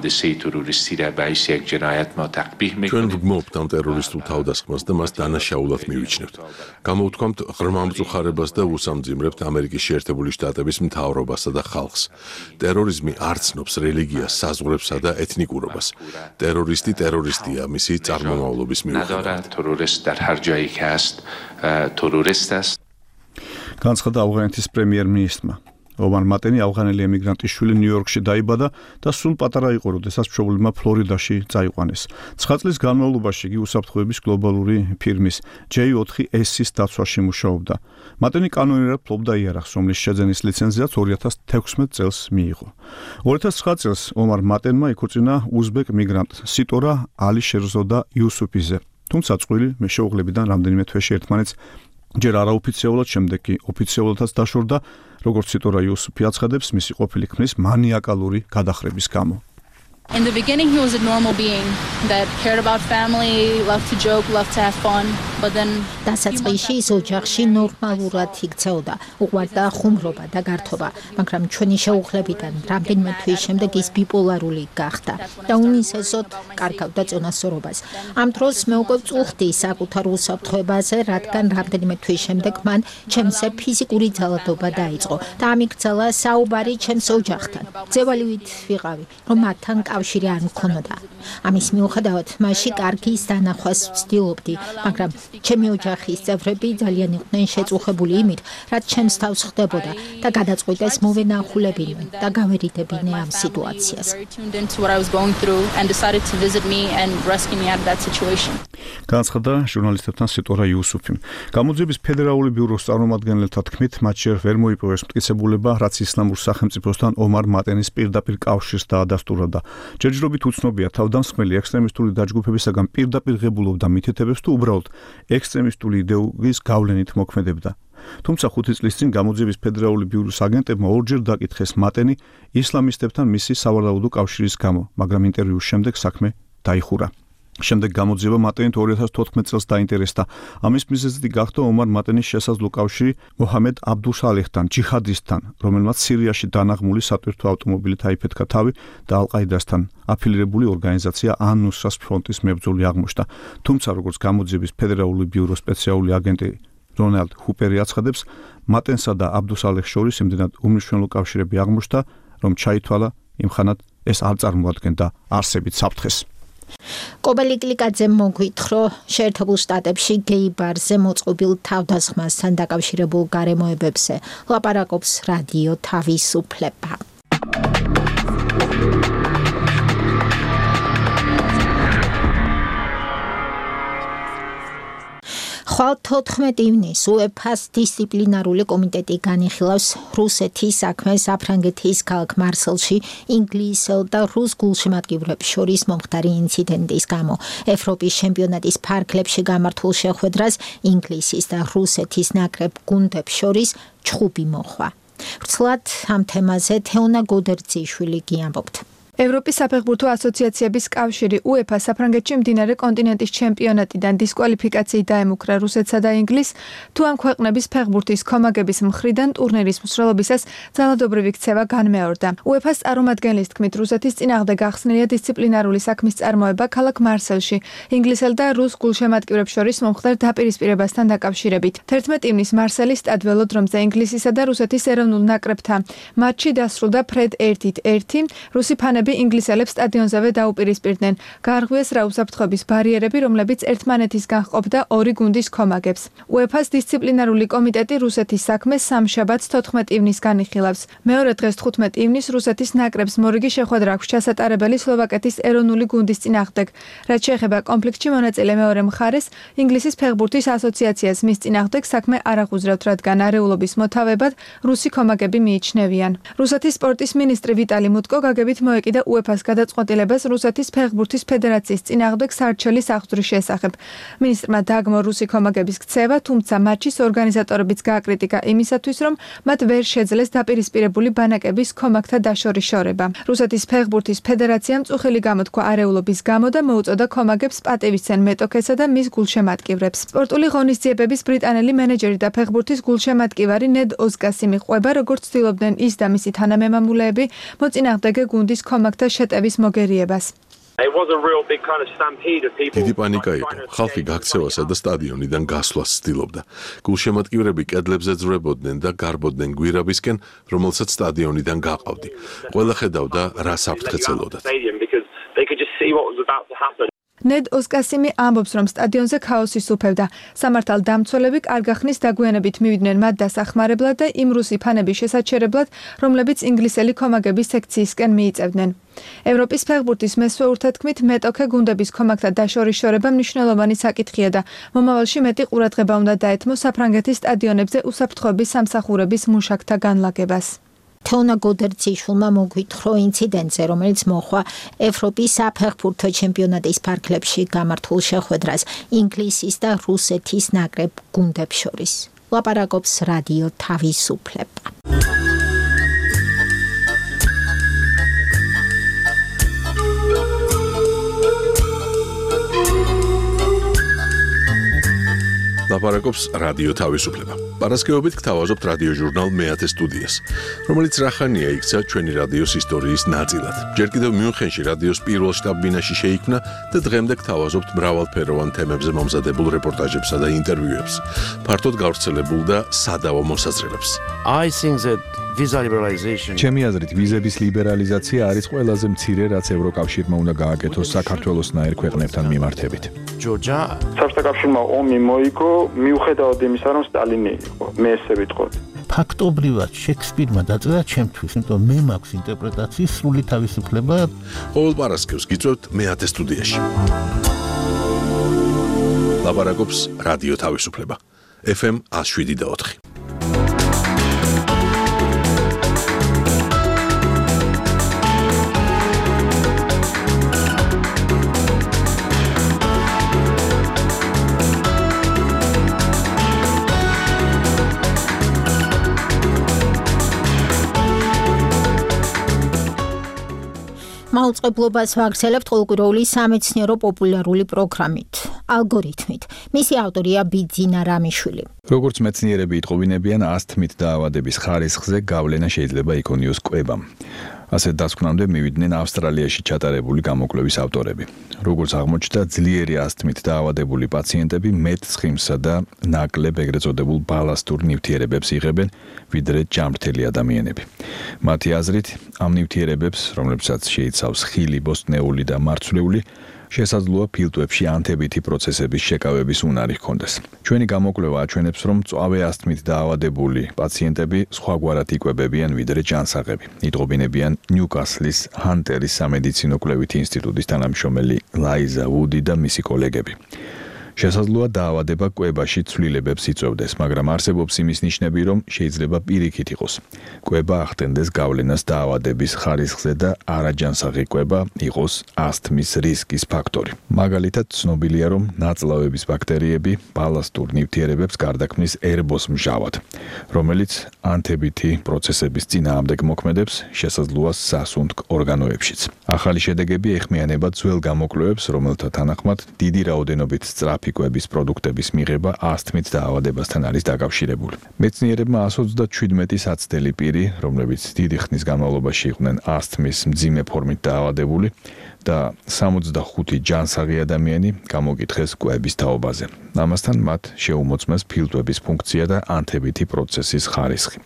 ვგმობთ ამ ტერორისტულ თავდასხმას და მას დანაშაულად მივიჩნევთ. გამოვთქვამთ ღრმა მწუხარებას და უსამძიმრებთ ამერიკის შეერთებული შტატების მთავრობასა და ხალხს. ტერორიზმი არ ცნობს რელიგიას, საზღვრებსა და ეთნიკურობას. ტერორისტი ტერორისტია მისი წარმომავლობის მიუხედავად. განცხადა ავღანეთის პრემიერ-მინისტრმა. ომარ მატენი ავღანელი ემიგრანტის შვილი ნიუ-იორკში დაიბადა და სულ პატარა იყო, როდესაც მშობლებმა ფლორიდაში წაიყვანეს. 9 წლის განმავლობაში იგი უსაფრთხოების გლობალური ფირმის J4S-ის დაცვაში მუშაობდა. მატენი კანონიერად ფლობდა იარაღს, რომლის შეძენის ლიცენზიაც 2016 წელს მიიღო. 2009 წელს ომარ მატენმა იქორწინა უზბეკ მიგრანტ სიტორა ალიშერზოდა იუსუფიზე. თუმცა წყვილი მეშეუღლებიდან რამდენიმე თვეში ერთმანეთს ჯერ არაოფიციალურად, შემდეგ კი ოფიციალურადაც დაშორდა, როგორც სიტორა იუსუფი აცხადებს, მისი ყოფილი ქმრის მანიაკალური გადახრების გამო. In the beginning he was a normal being that cared about family, loved to joke, loved to have fun, but then დასაწყისში ის ოჯახში ნორმალურად იქცეოდა, უყვარდა ხუმრობა და გართობა, მაგრამ ჩვენი შეუღლებიდან რამდენიმე თვის შემდეგ ის ბიპოლარული გახდა და უნისესოდ კარგავდა წონასწორობას. ამ დროს მე უკვე წუხდი საკუთარ უსაფრთხოებაზე, რადგან რამდენიმე თვის შემდეგ მან ჩემზე ფიზიკური ძალადობა დაიწყო და ამიგრძელა საუბარი ჩემს ოჯახთან. ძევალივით ვიყავი, რომ მათთან კავშირი არ მქონოდა. ამის მიუხედავად, მასში კარგის დანახვას ვცდილობდი, მაგრამ ჩემი ოჯახის წევრები ძალიან იყვნენ შეწუხებული იმით, რაც ჩემს თავს ხდებოდა და გადაწყვიტეს მოვენახულებინონ და გავერიდებინე ამ სიტუაციას. განცხადა ჟურნალისტებთან სიტორა იუსუფი. გამოძიების ფედერალური ბიუროს წარმომადგენელთა თქმით, მათ შორ ვერ მოიპოვეს მტკიცებულება, რაც ისლამურ სახელმწიფოსთან ომარ მატენის პირდაპირ კავშირს დაადასტურა. ჯერჯერობით უცნობია თავდამსხმელი ექსტრემისტული დაჯგუფებისაგან პირდაპირ ღებულობდა მითითებებს თუ უბრალოდ ექსტრემისტული იდეოლოგიის გავლენით მოქმედებდა. თუმცა 5 წლის წინ გამოძიების ფედერალური ბიუროს აგენტებმა ორჯერ დაკითხეს მატენი ისლამისტებთან მისი სავარაუდო კავშირის გამო, მაგრამ ინტერვიუს შემდეგ საქმე დაიხურა. შემდეგ გამოძიება მატენით 2014 წელს დაინტერესდა. ამის მიზეზი გახდა ომარ მატენის შესაძლო კავშირი მოჰამედ აბდუსალეხთან, ჯიჰადისტთან, რომელმაც სირიაში დანაღმული სატვირთო ავტომობილით აიფეთქა თავი და ალ-ყაიდასთან აფილირებული ორგანიზაცია ან-ნუსრას ფრონტის მებრძოლი აღმოჩნდა. თუმცა, როგორც გამოძიების ფედერალური ბიუროს სპეციალური აგენტი რონალდ ჰუპერი აცხადებს, მატენსა და აბდუსალეხს შორის იმდენად უმნიშვნელო კავშირები აღმოჩნდა, რომ ჩაითვალა იმხანად ეს არ წარმოადგენდა არსებით საფრთხეს. კობელი კლიკაძემ მოგვითხრა შეერთებულ შტატებში გეი ბარზე მოწყობილ თავდასხმასთან დაკავშირებულ გარემოებებზე. ლაპარაკობს რადიო თავისუფლება. ხვალ 14 ივნისს UEFA-ს დისციპლინარული კომიტეტი განიხილავს რუსეთის საქმეს საფრანგეთის ქალაქ მარსელში ინგლისელ და რუს გულშემატკივრებს შორის მომხდარი ინციდენტის გამო. ევროპის ჩემპიონატის ფარგლებში გამართულ შეხვედრას ინგლისის და რუსეთის ნაკრებ გუნდებს შორის ჩხუბი მოხვა. ვრცლად ამ თემაზე თეონა გოდერძიშვილი გიამბობთ. ევროპის საფეხბურთო ასოციაციების კავშირი UEFA საფრანგეთში მდინარე კონტინენტის ჩემპიონატიდან დისკვალიფიკაციით დაემუქრა რუსეთსა და ინგლისს, თუ ამ ქვეყნების ფეხბურთის კომაგების მხრიდან ტურნირის მსვლელობისას ძალადობრივი ქცევა განმეორდა. UEFA-ს წარმომადგენლის თქმით, რუსეთის წინააღმდეგ გახსნილია დისციპლინარული საქმის წარმოება ქალაქ მარსელში, ინგლისელ და რუს გულშემატკივრებს შორის მომხდარ დაპირისპირებასთან დაკავშირებით. 11 ივნისს მარსელის სტად ველოდრომზე ინგლისისა და რუსეთის ეროვნულ ნაკრებთან მატჩი დასრულდა ფრედ 1-1. რუსი ფანები მწვრთნელები ინგლისელებს სტადიონზევე დაუპირისპირდნენ. გაარღვიეს რა უსაფრთხოების ბარიერები, რომლებიც ერთმანეთისგან ჰყოფდა ორი გუნდის კომაგებს. UEFA-ს დისციპლინარული კომიტეტი რუსეთის საქმეს სამშაბათს 14 ივნისს განიხილავს. მეორე დღეს 15 ივნისს რუსეთის ნაკრებს მორიგი შეხვედრა აქვს ჩასატარებელი სლოვაკეთის ეროვნული გუნდის წინააღმდეგ. რაც შეეხება კონფლიქტში მონაწილე მეორე მხარეს, ინგლისის ფეხბურთის ასოციაციას მის წინააღმდეგ საქმე არ აღუძრავთ, რადგან არეულობის მოთავებად რუსი კომაგები მიიჩნევიან. რუსეთის სპორტის მინისტრი ვიტალი მუტკო გაგებით მოეკიდა UEFA-ს გადაწყვეტილებას რუსეთის ფეხბურთის ფედერაციის წინააღმდეგ სარჩელის აღძვრის შესახებ. მინისტრმა დააგმო რუსი კომაგების ქცევა, თუმცა მატჩის ორგანიზატორებიც გააკრიტიკა იმისათვის, რომ მათ ვერ შეძლეს დაპირისპირებული ბანაკების კომაგთა დაშორიშორება. რუსეთის ფეხბურთის ფედერაციამ წუხილი გამოთქვა არეულობის გამო და მოუწოდა კომაგებს პატივისცენ მეტოქესა და მის გულშემატკივრებს. სპორტული ღონისძიებების ბრიტანელი მენეჯერი და ფეხბურთის გულშემატკივარი ნედ ოზკასი მიყვება, როგორც ცდილობდნენ ის და მისი თანამემამულეები მოწინააღმდეგე გუნდის კომაგთა შეტევის მოგერიებას. დიდი პანიკა იყო. ხალხი გაქცევასა და სტადიონიდან გასვლას ცდილობდა. გულშემატკივრები კედლებზე ძვრებოდნენ და გარბოდნენ გვირაბისკენ, რომელსაც სტადიონიდან გაყავდი. ყველა ხედავდა რა საფრთხე ცელოდათ. ნედ ოზკასიმი ამბობს, რომ სტადიონზე ქაოსი სუფევდა. სამართალდამცველები კარგახნის დაგვიანებით მივიდნენ მათ დასახმარებლად და იმ რუსი ფანების შესაჩერებლად, რომლებიც ინგლისელი კომაგების სექციისკენ მიიწევდნენ. ევროპის ფეხბურთის მესვეურთა თქმით, მეტოქე გუნდების კომაგთა დაშორიშორება მნიშვნელოვანი საკითხია და მომავალში მეტი ყურადღება უნდა დაეთმოს საფრანგეთის სტადიონებზე უსაფრთხოების სამსახურების მუშაკთა განლაგებას. თეონა გოდერძიშვილმა მოგვითხრა ინციდენტზე, რომელიც მოხდა ევროპის საფეხბურთო ჩემპიონატის ფარგლებში გამართულ შეხვედრას ინგლისის და რუსეთის ნაკრებ გუნდებს შორის. ლაპარაკობს რადიო თავისუფლება. ლაპარაკობს რადიო თავისუფლება. პარასკევობით გთავაზობთ რადიო ჟურნალ მეათე სტუდიას, რომელიც რახანია იქცა ჩვენი რადიოს ისტორიის ნაწილად. ჯერ კიდევ მიუნხენში რადიოს პირველ შტაბ-ბინაში შეიქმნა და დღემდე გთავაზობთ მრავალფეროვან თემებზე მომზადებულ რეპორტაჟებსა და ინტერვიუებს, ფართოდ გავრცელებულ და სადავო მოსაზრებებს. ჩემი აზრით, ვიზების ლიბერალიზაცია არის ყველაზე მცირე, რაც ევროკავშირმა უნდა გააკეთოს საქართველოსნაირ ქვეყნებთან მიმართებით. საბჭოთა კავშირმა ომი მოიგო, მიუხედავად იმისა, რომ სტალინი იყო, მე ესე ვიტყოდი. ფაქტობრივად შექსპირმა დაწერა ჩემთვის, იმიტომ მე მაქვს ინტერპრეტაციის სრული თავისუფლება. ყოველ პარასკევს გიწევთ მეათე სტუდიაში. ლაპარაკობს რადიო თავისუფლება. FM 107.4. მაუწყებლობას ვაგრძელებთ ყოველკვირეული სამეცნიერო პოპულარული პროგრამით, ალგორითმით. მისი ავტორია ბიძინა რამიშვილი. როგორც მეცნიერები იტყობინებიან, ასთმით დაავადების ხარისხზე გავლენა შეიძლება იქონიოს კვებამ. ასეთ დასკვნამდე მივიდნენ ავსტრალიაში ჩატარებული გამოკვლევის ავტორები. როგორც აღმოჩნდა, ძლიერი ასთმით დაავადებული პაციენტები მეტ ცხიმსა და ნაკლებ ეგრეთ წოდებულ ბალასტურ ნივთიერებებს იღებენ, ვიდრე ჯამრთელი ადამიანები. მათი აზრით, ამ ნივთიერებებს, რომლებსაც შეიცავს ხილი, ბოსტნეული და მარცვლეული, შესაძლოა ფილტვებში ანთებითი პროცესების შეკავების უნარი ჰქონდეს. ჩვენი გამოკვლევა აჩვენებს, რომ მწვავე ასთმით დაავადებული პაციენტები სხვაგვარად იკვებებიან, ვიდრე ჯანსაღები. იტყობინებიან ნიუკასლის ჰანტერის სამედიცინო კვლევითი ინსტიტუტის თანამშრომელი ლაიზა ვუდი და მისი კოლეგები. შესაძლოა დაავადება კვებაში ცვლილებებს იწვევდეს, მაგრამ არსებობს იმის ნიშნები, რომ შეიძლება პირიქით იყოს. კვება ახდენდეს გავლენას დაავადების ხარისხზე და არაჯანსაღი კვება იყოს ასთმის რისკის ფაქტორი. მაგალითად, ცნობილია, რომ ნაწლავების ბაქტერიები ბალასტურ ნივთიერებებს გარდაქმნის ერბოს მჟავად, რომელიც ანთებითი პროცესების წინააღმდეგ მოქმედებს, შესაძლოა სასუნთქ ორგანოებშიც. ახალი შედეგები ეხმიანება ძველ გამოკვლევებს, რომელთა თანახმად დიდი რაოდენობით სწრაფი კვების პროდუქტების მიღება ასთმით დაავადებასთან არის დაკავშირებული. მეცნიერებმა 127 საცდელი პირი, რომლებიც დიდი ხნის განმავლობაში იყვნენ ასთმის მძიმე ფორმით დაავადებული და 65 ჯანსაღი ადამიანი გამოკითხეს კვების თაობაზე. ამასთან მათ შეუმოწმეს ფილტვების ფუნქცია და ანთებითი პროცესის ხარისხი.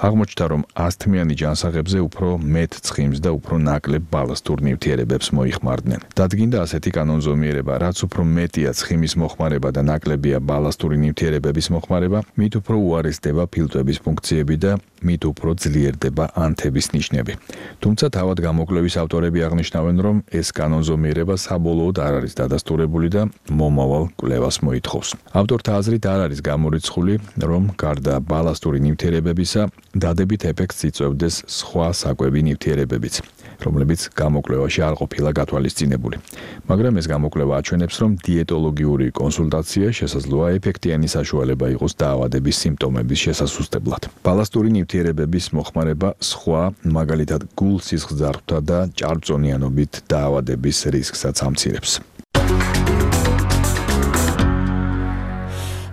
აღმოჩნდა, რომ ასთმიანი ჯანსაღებზე უფრო მეტ ცხიმს და უფრო ნაკლებ ბალასტურ ნივთიერებებს მოიხმარდნენ. დადგინდა ასეთი კანონზომიერება, რაც უფრო მეტია ცხიმის მოხმარება და ნაკლებია ბალასტური ნივთიერებების მოხმარება, მით უფრო უარესდება ფილტვების ფუნქციები და მით უფრო ძლიერდება ანთების ნიშნები. თუმცა თავად გამოკვლევის ავტორები აღნიშნავენ, რომ ეს კანონზომიერება საბოლოოდ არ არის დადასტურებული და მომავალ კვლევას მოითხოვს. ავტორთა აზრით არ არის გამორიცხული, რომ გარდა ბალასტური ნივთიერებებისა, დადებით ეფექტს იწვევდეს სხვა საკვები ნივთიერებებიც, რომლებიც გამოკვლევაში არ ყოფილა გათვალისწინებული. მაგრამ ეს გამოკვლევა აჩვენებს, რომ დიეტოლოგიური კონსულტაცია შესაძლოა ეფექტიანი საშუალება იყოს დაავადების სიმპტომების შესასუსტებლად. ბალასტური ნივთიერებების მოხმარება სხვა, მაგალითად გულ-სისხლძარღვთა და ჭარბწონიანობით დაავადების რისკსაც ამცირებს.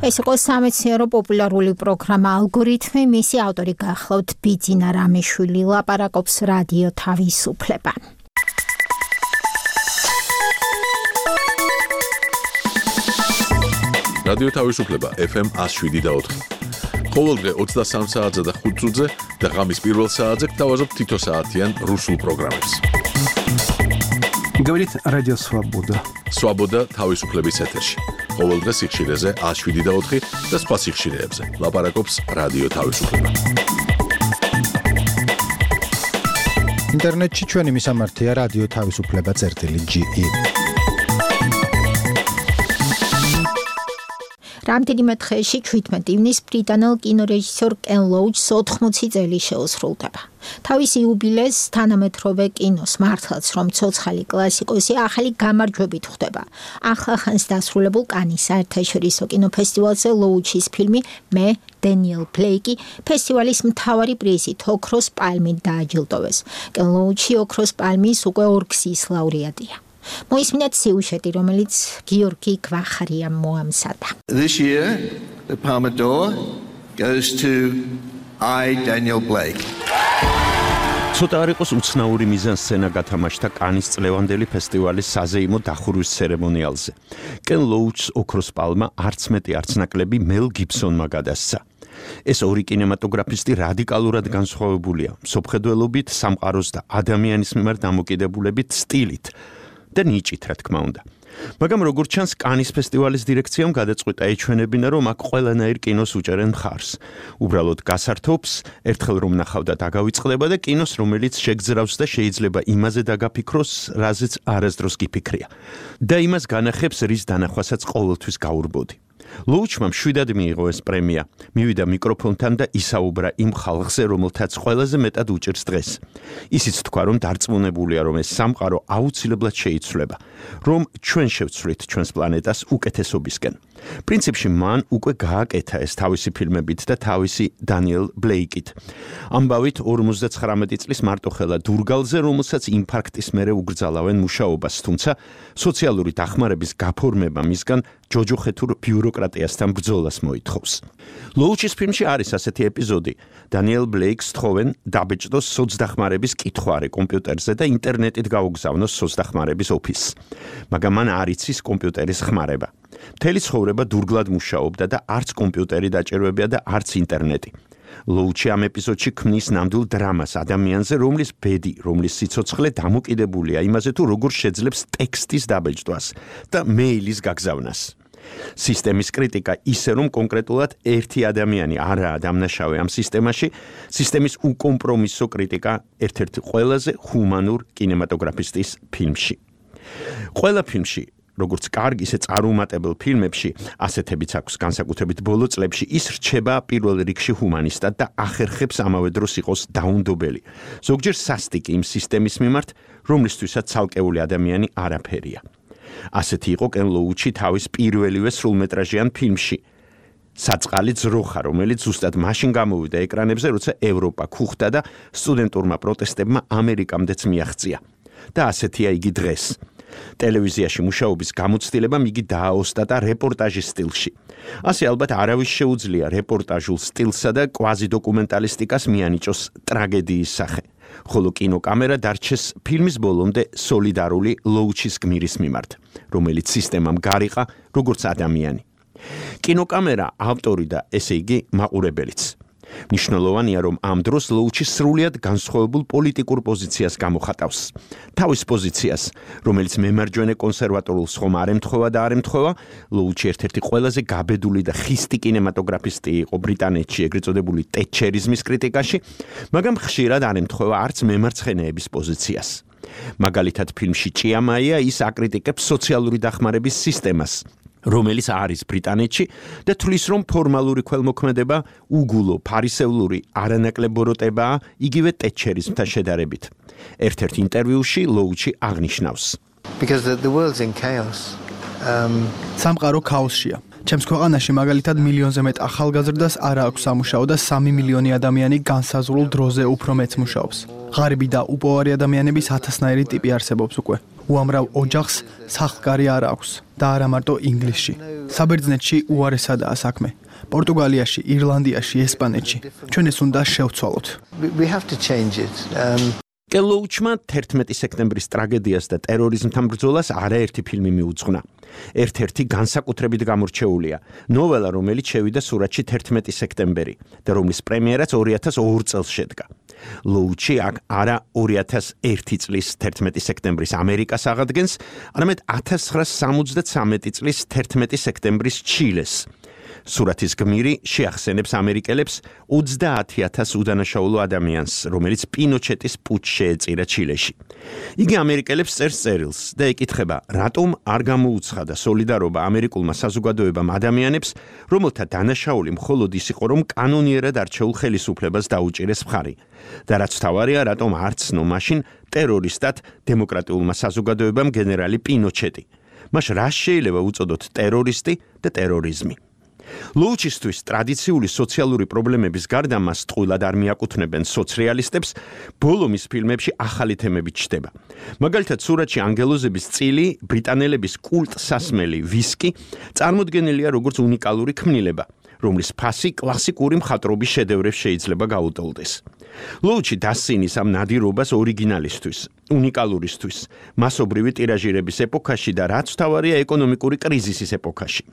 ეს იყო სამეცნიერო პოპულარული პროგრამა ალგორითმი, მისი ავტორი გახლავთ ბიძინა რამიშვილი, ლაპარაკობს რადიო თავისუფლება. რადიო თავისუფლება FM 107.4. ყოველდღე 23 საათზე და 5 წუთზე და ღამის პირველ საათზე გთავაზობთ თითო საათიან რუსულ პროგრამებს. Говорит Радио Свобода. Свобода თავისუფლების ეთერში. ყოველდღე სიხშირეზე 107.4 და სხვა სიხშირეებზე. ლაპარაკობს რადიო თავისუფლება. ინტერნეტში ჩვენი მისამართია რადიო თავისუფლება.ge. რამდენიმე დღეში 17 ივნისს ბრიტანელ კინორეჟისორ კენ ლოუჩს 80 წელი შეუსრულდება. თავის იუბილეს თანამედროვე კინოს მართლაც რომ ცოცხალი კლასიკოსი ახალი გამარჯვებით ხვდება. ახლახანს დასრულებულ კანის საერთაშორისო კინოფესტივალზე ლოუჩის ფილმი მე დენიელ ბლეიკი ფესტივალის მთავარი პრიზით ოქროს პალმით დააჯილდოვეს. კენ ლოუჩი ოქროს პალმის უკვე 2 გზის ლაურეატია. მოისმინეთ სიუჟეტი, რომელიც გიორგი გვახარიამ მოამზადა. This year, the Palme d'Or goes to I, Daniel Blake. ცოტა არ იყოს უცნაური მიზანსცენა გათამაშდა კანის წლევანდელი ფესტივალის საზეიმო დახურვის ცერემონიალზე. კენ ლოუჩს ოქროს პალმა არც მეტი არც ნაკლები მელ გიბსონმა გადასცა. ეს ორი კინემატოგრაფისტი რადიკალურად განსხვავებულია მსოფლმხედველობით, სამყაროს და ადამიანის მიმართ დამოკიდებულებით სტილით და ნიჭით, რა თქმა უნდა. მაგრამ როგორც ჩანს, კანის ფესტივალის დირექციამ გადაწყვიტა ეჩვენებინა, რომ აქ ყველანაირ კინოს უჭერენ მხარს. უბრალოდ გასართობს, ერთხელ რომ ნახავდა დაგავიწყდება და კინოს, რომელიც შეგძრავს და შეიძლება იმაზე დაგაფიქროს, რაზეც არასდროს გიფიქრია. და იმას განახებს, რის დანახვასაც ყოველთვის გაურბოდი. ლოუჩმა მშვიდად მიიღო ეს პრემია. მივიდა მიკროფონთან და ისაუბრა იმ ხალხზე, რომელთაც ყველაზე მეტად უჭირს დღეს. ისიც თქვა, რომ დარწმუნებულია, რომ ეს სამყარო აუცილებლად შეიცვლება, რომ ჩვენ შევცვლით ჩვენს პლანეტას უკეთესობისკენ. პრინციპში მან უკვე გააკეთა ეს თავისი ფილმებით და თავისი დანიელ ბლეიკით. ამბავით 59 წლის მარტოხელა დურგალზე, რომელსაც ინფარქტის მერე უგრძალავენ მუშაობას, თუმცა სოციალური დახმარების გაფორმება მისგან ჯოჯოხეთურ ბიუროკრატიასთან ბრძოლას მოითხოვს. ლოუჩის ფილმში არის ასეთი ეპიზოდი. დანიელ ბლეიკს თხოვენ დაბეჭდოს სოცდახმარების კითხვარი კომპიუტერზე და ინტერნეტით გაუგზავნოს სოცდახმარების ოფისს. მაგრამ მან არ იცის კომპიუტერის ხმარება. მთელი ცხოვრება დურგლად მუშაობდა და არც კომპიუტერი დაჭირვებია და არც ინტერნეტი. ლოუჩი ამ ეპიზოდში ქმნის ნამდვილ დრამას ადამიანზე, რომლის ბედი, რომლის სიცოცხლე დამოკიდებულია იმაზე, თუ როგორ შეძლებს ტექსტის დაბეჭდვას და მეილის გაგზავნას. სისტემის კრიტიკა ისე, რომ კონკრეტულად ერთი ადამიანი არაა დამნაშავე ამ სისტემაში, სისტემის უკომპრომისო კრიტიკა ერთ-ერთი ყველაზე ჰუმანურ კინემატოგრაფისტის ფილმში. ყველა ფილმში როგორც კარგ, ისე წარუმატებელ ფილმებში, ასეთებიც აქვს განსაკუთრებით ბოლო წლებში, ის რჩება პირველ რიგში ჰუმანისტად და ახერხებს ამავე დროს იყოს დაუნდობელი. ზოგჯერ სასტიკი იმ სისტემის მიმართ, რომლისთვისაც ცალკეული ადამიანი არაფერია. ასეთი იყო კენ ლოუჩი თავის პირველივე სრულმეტრაჟიან ფილმში. საწყალი ძროხა, რომელიც ზუსტად მაშინ გამოვიდა ეკრანებზე, როცა ევროპა ქუხდა და სტუდენტურმა პროტესტებმა ამერიკამდეც მიაღწია. და ასეთია იგი დღეს. ტელევიზიაში მუშაობის გამოცდილებამ იგი დააოსტატა რეპორტაჟის სტილში. ასე ალბათ არავის შეუძლია რეპორტაჟულ სტილსა და კვაზიდოკუმენტალისტიკას მიანიჭოს ტრაგედიის სახე. ხოლო კინოკამერა დარჩეს ფილმის ბოლომდე სოლიდარული ლოუჩის გმირის მიმართ, რომელიც სისტემამ გარიყა როგორც ადამიანი. კინოკამერა ავტორი და ესე იგი მაყურებელიც. მნიშვნელოვანია, რომ ამ დროს ლოუჩი სრულიად განსხვავებულ პოლიტიკურ პოზიციას გამოხატავს. თავის პოზიციას, რომელიც მემარჯვენე კონსერვატორულს ხომ არ ემთხვევა და არ ემთხვევა, ლოუჩი ერთ-ერთი ყველაზე გაბედული და ხისტი კინემატოგრაფისტი იყო ბრიტანეთში, ეგრეთ წოდებული ტეტჩერიზმის კრიტიკაში, მაგრამ ხშირად არ ემთხვევა არც მემარცხენეების პოზიციას. მაგალითად, ფილმში ჭიამაია ის აკრიტიკებს სოციალური დახმარების სისტემას, რომელიც არის ბრიტანეთში და თვლის, რომ ფორმალური ქველმოქმედება უგულო ფარისევლური არანაკლებ ბოროტებაა იგივე ტეტჩერიზმთან შედარებით. ერთ-ერთ ინტერვიუში ლოუჩი აღნიშნავს. Because the world's in chaos. სამყარო ქაოსშია. ჩემს ქვეყანაში მაგალითად მილიონზე მეტ ახალგაზრდას არ აქვს სამუშაო და 3 მილიონი ადამიანი განსაზღვრულ დროზე უფრო მეც მუშაობს. ღარიბი და უპოვარი ადამიანების 1000-ნაირი ტიპი არსებობს უკვე. უამრავ ოჯახს სახლკარი არ აქვს და არა მარტო ინგლისში. საბერძნეთში უარესადაა საქმე. პორტუგალიაში, ირლანდიაში, ესპანეთში. ჩვენ ეს უნდა შევცვალოთ. We have to change it. კელოუჩმა 11 სექტემბრის ტრაგედიას და ტერორიზმთან ბრძოლას არაერთი ფილმი მიუძღვნა. ერთ-ერთი განსაკუთრებით გამორჩეულია, ნოველა, რომელიც შევიდა სურათში 11 სექტემბერი და რომლის პრემიერაც 2002 წელს შედგა. ლოუჩი აქ არა 2001 წლის 11 სექტემბრის ამერიკას აღადგენს, არამედ 1973 წლის 11 სექტემბრის ჩილეს. სურათის გმირი შეახსენებს ამერიკელებს 30,000 უდანაშაულო ადამიანს, რომელიც პინოჩეტის პუტჩს შეეწირა ჩილეში. იგი ამერიკელებს წერს წერილს და ეკითხება, რატომ არ გამოუცხადა სოლიდარობა ამერიკულმა საზოგადოებამ ადამიანებს, რომელთა დანაშაული მხოლოდ ის იყო, რომ კანონიერად არჩეულ ხელისუფლებას დაუჭირეს მხარი. და რაც თავარია, რატომ არ ცნო მაშინ ტერორისტად დემოკრატიულმა საზოგადოებამ გენერალი პინოჩეტი. მას რა შეიძლება უწოდოთ ტერორისტი და ტერორიზმი. ლოუჩისთვის ტრადიციული სოციალური პრობლემების გარდა მას ტყუილად არ მიაკუთვნებენ სოციალისტებს, ბოლო მის ფილმებში ახალი თემები ჩნდება. მაგალითად, სურათში ანგელოზების წილი, ბრიტანელების კულტსასმელი ვისკი წარმოდგენილია როგორც უნიკალური ქმნილება, რომლის ფასი კლასიკური მხატვრობის შედევრებს შეიძლება გაუტოლდეს. ლოუჩი დასცინის ამ ნადირობას ორიგინალისთვის, უნიკალურისთვის, მასობრივი ტირაჟირების ეპოქაში და რაც თავარია ეკონომიკური კრიზისის ეპოქაში.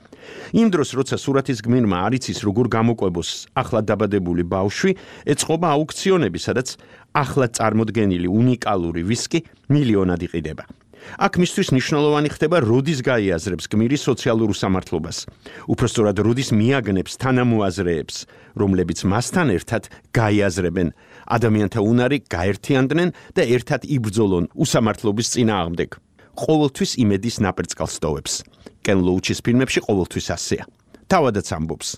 იმ დროს, როცა სურათის გმირმა არ იცის როგორ გამოკვებოს ახლად დაბადებული ბავშვი, ეწყობა აუქციონები, სადაც ახლად წარმოდგენილი უნიკალური ვისკი მილიონად იყიდება. აქ მისთვის მნიშვნელოვანი ხდება როდის გაიაზრებს გმირი სოციალურ უსამართლობას. უпростоრად როდის მიაგნებს თანამოაზრეებს, რომლებიც მასთან ერთად გაიაზრებენ ადამიანთა უნარი, გაერთიანდნენ და ერთად იბრძოლონ უსამართლობის წინააღმდეგ. ყოველთვის იმედის ნაპერწკალს ტოვებს. კენ ლოუჩის ფილმებში ყოველთვის ასეა. თავადაც ამბობს.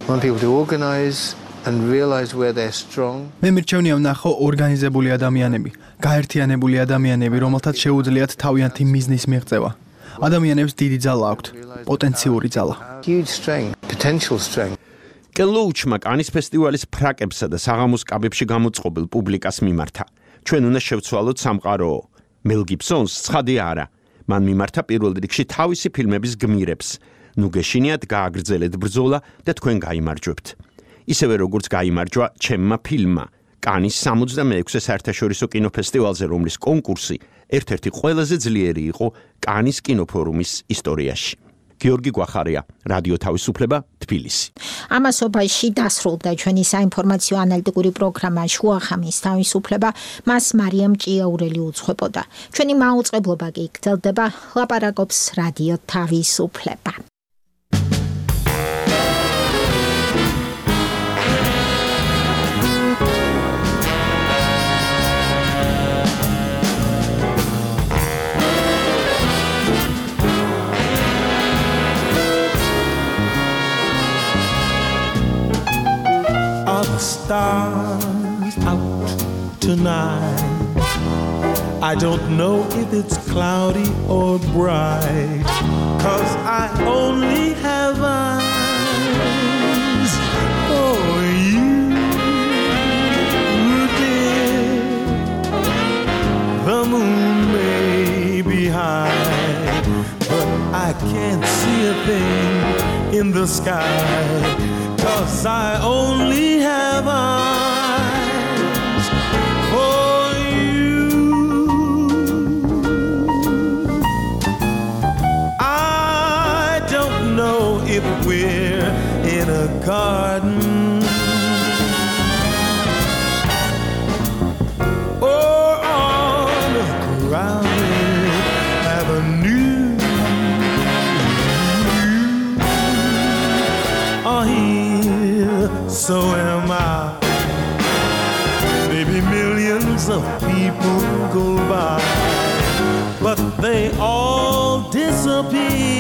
Want people to organize and realize where they're strong. მე მირჩევნია ვნახო ორგანიზებული ადამიანები, გაერთიანებული ადამიანები, რომელთაც შეუძლიათ თავიანთი მიზნის მიღწევა. ადამიანებს დიდი ძალა აქვთ, პოტენციური ძალა. Huge strength, potential strength. კენ ლოუჩმა კანის ფესტივალის ფრაკებსა და საღამოს კაბებში გამოწყობილ პუბლიკას მიმართა. ჩვენ უნდა შევცვალოთ სამყაროო. მელ გიბსონს ცხადი არა. მან მიმართა პირველ რიგში თავისი ფილმების გმირებს. ნუ გეშინიათ გააგრძელეთ ბრძოლა და თქვენ გაიმარჯვებთ. ისევე როგორც გაიმარჯვა ჩემმა ფილმმა, კანის 66-ე საერთაშორისო კინოფესტივალზე, რომლის კონკურსი ერთ-ერთი ყველაზე ძლიერი იყო კანის კინოფორუმის ისტორიაში. გიორგი გვახარია, რადიო თავისუფლება, თბილისი. ამასობაში დასრულდა ჩვენი საინფორმაციო ანალიტიკური პროგრამა შუახამის თავისუფლება, მას მარიამ ჭიაურელი უძღვებოდა. ჩვენი მაუწყებლობა კი გრძელდება, ლაპარაკობს რადიო თავისუფლება. The stars out tonight. I don't know if it's cloudy or bright, 'cause I only have eyes for you, dear. The moon may be high, but I can't see a thing in the sky, 'cause I only have eyes for you. I don't know if we're in a garden so am I. Maybe millions of people go by, but they all disappear.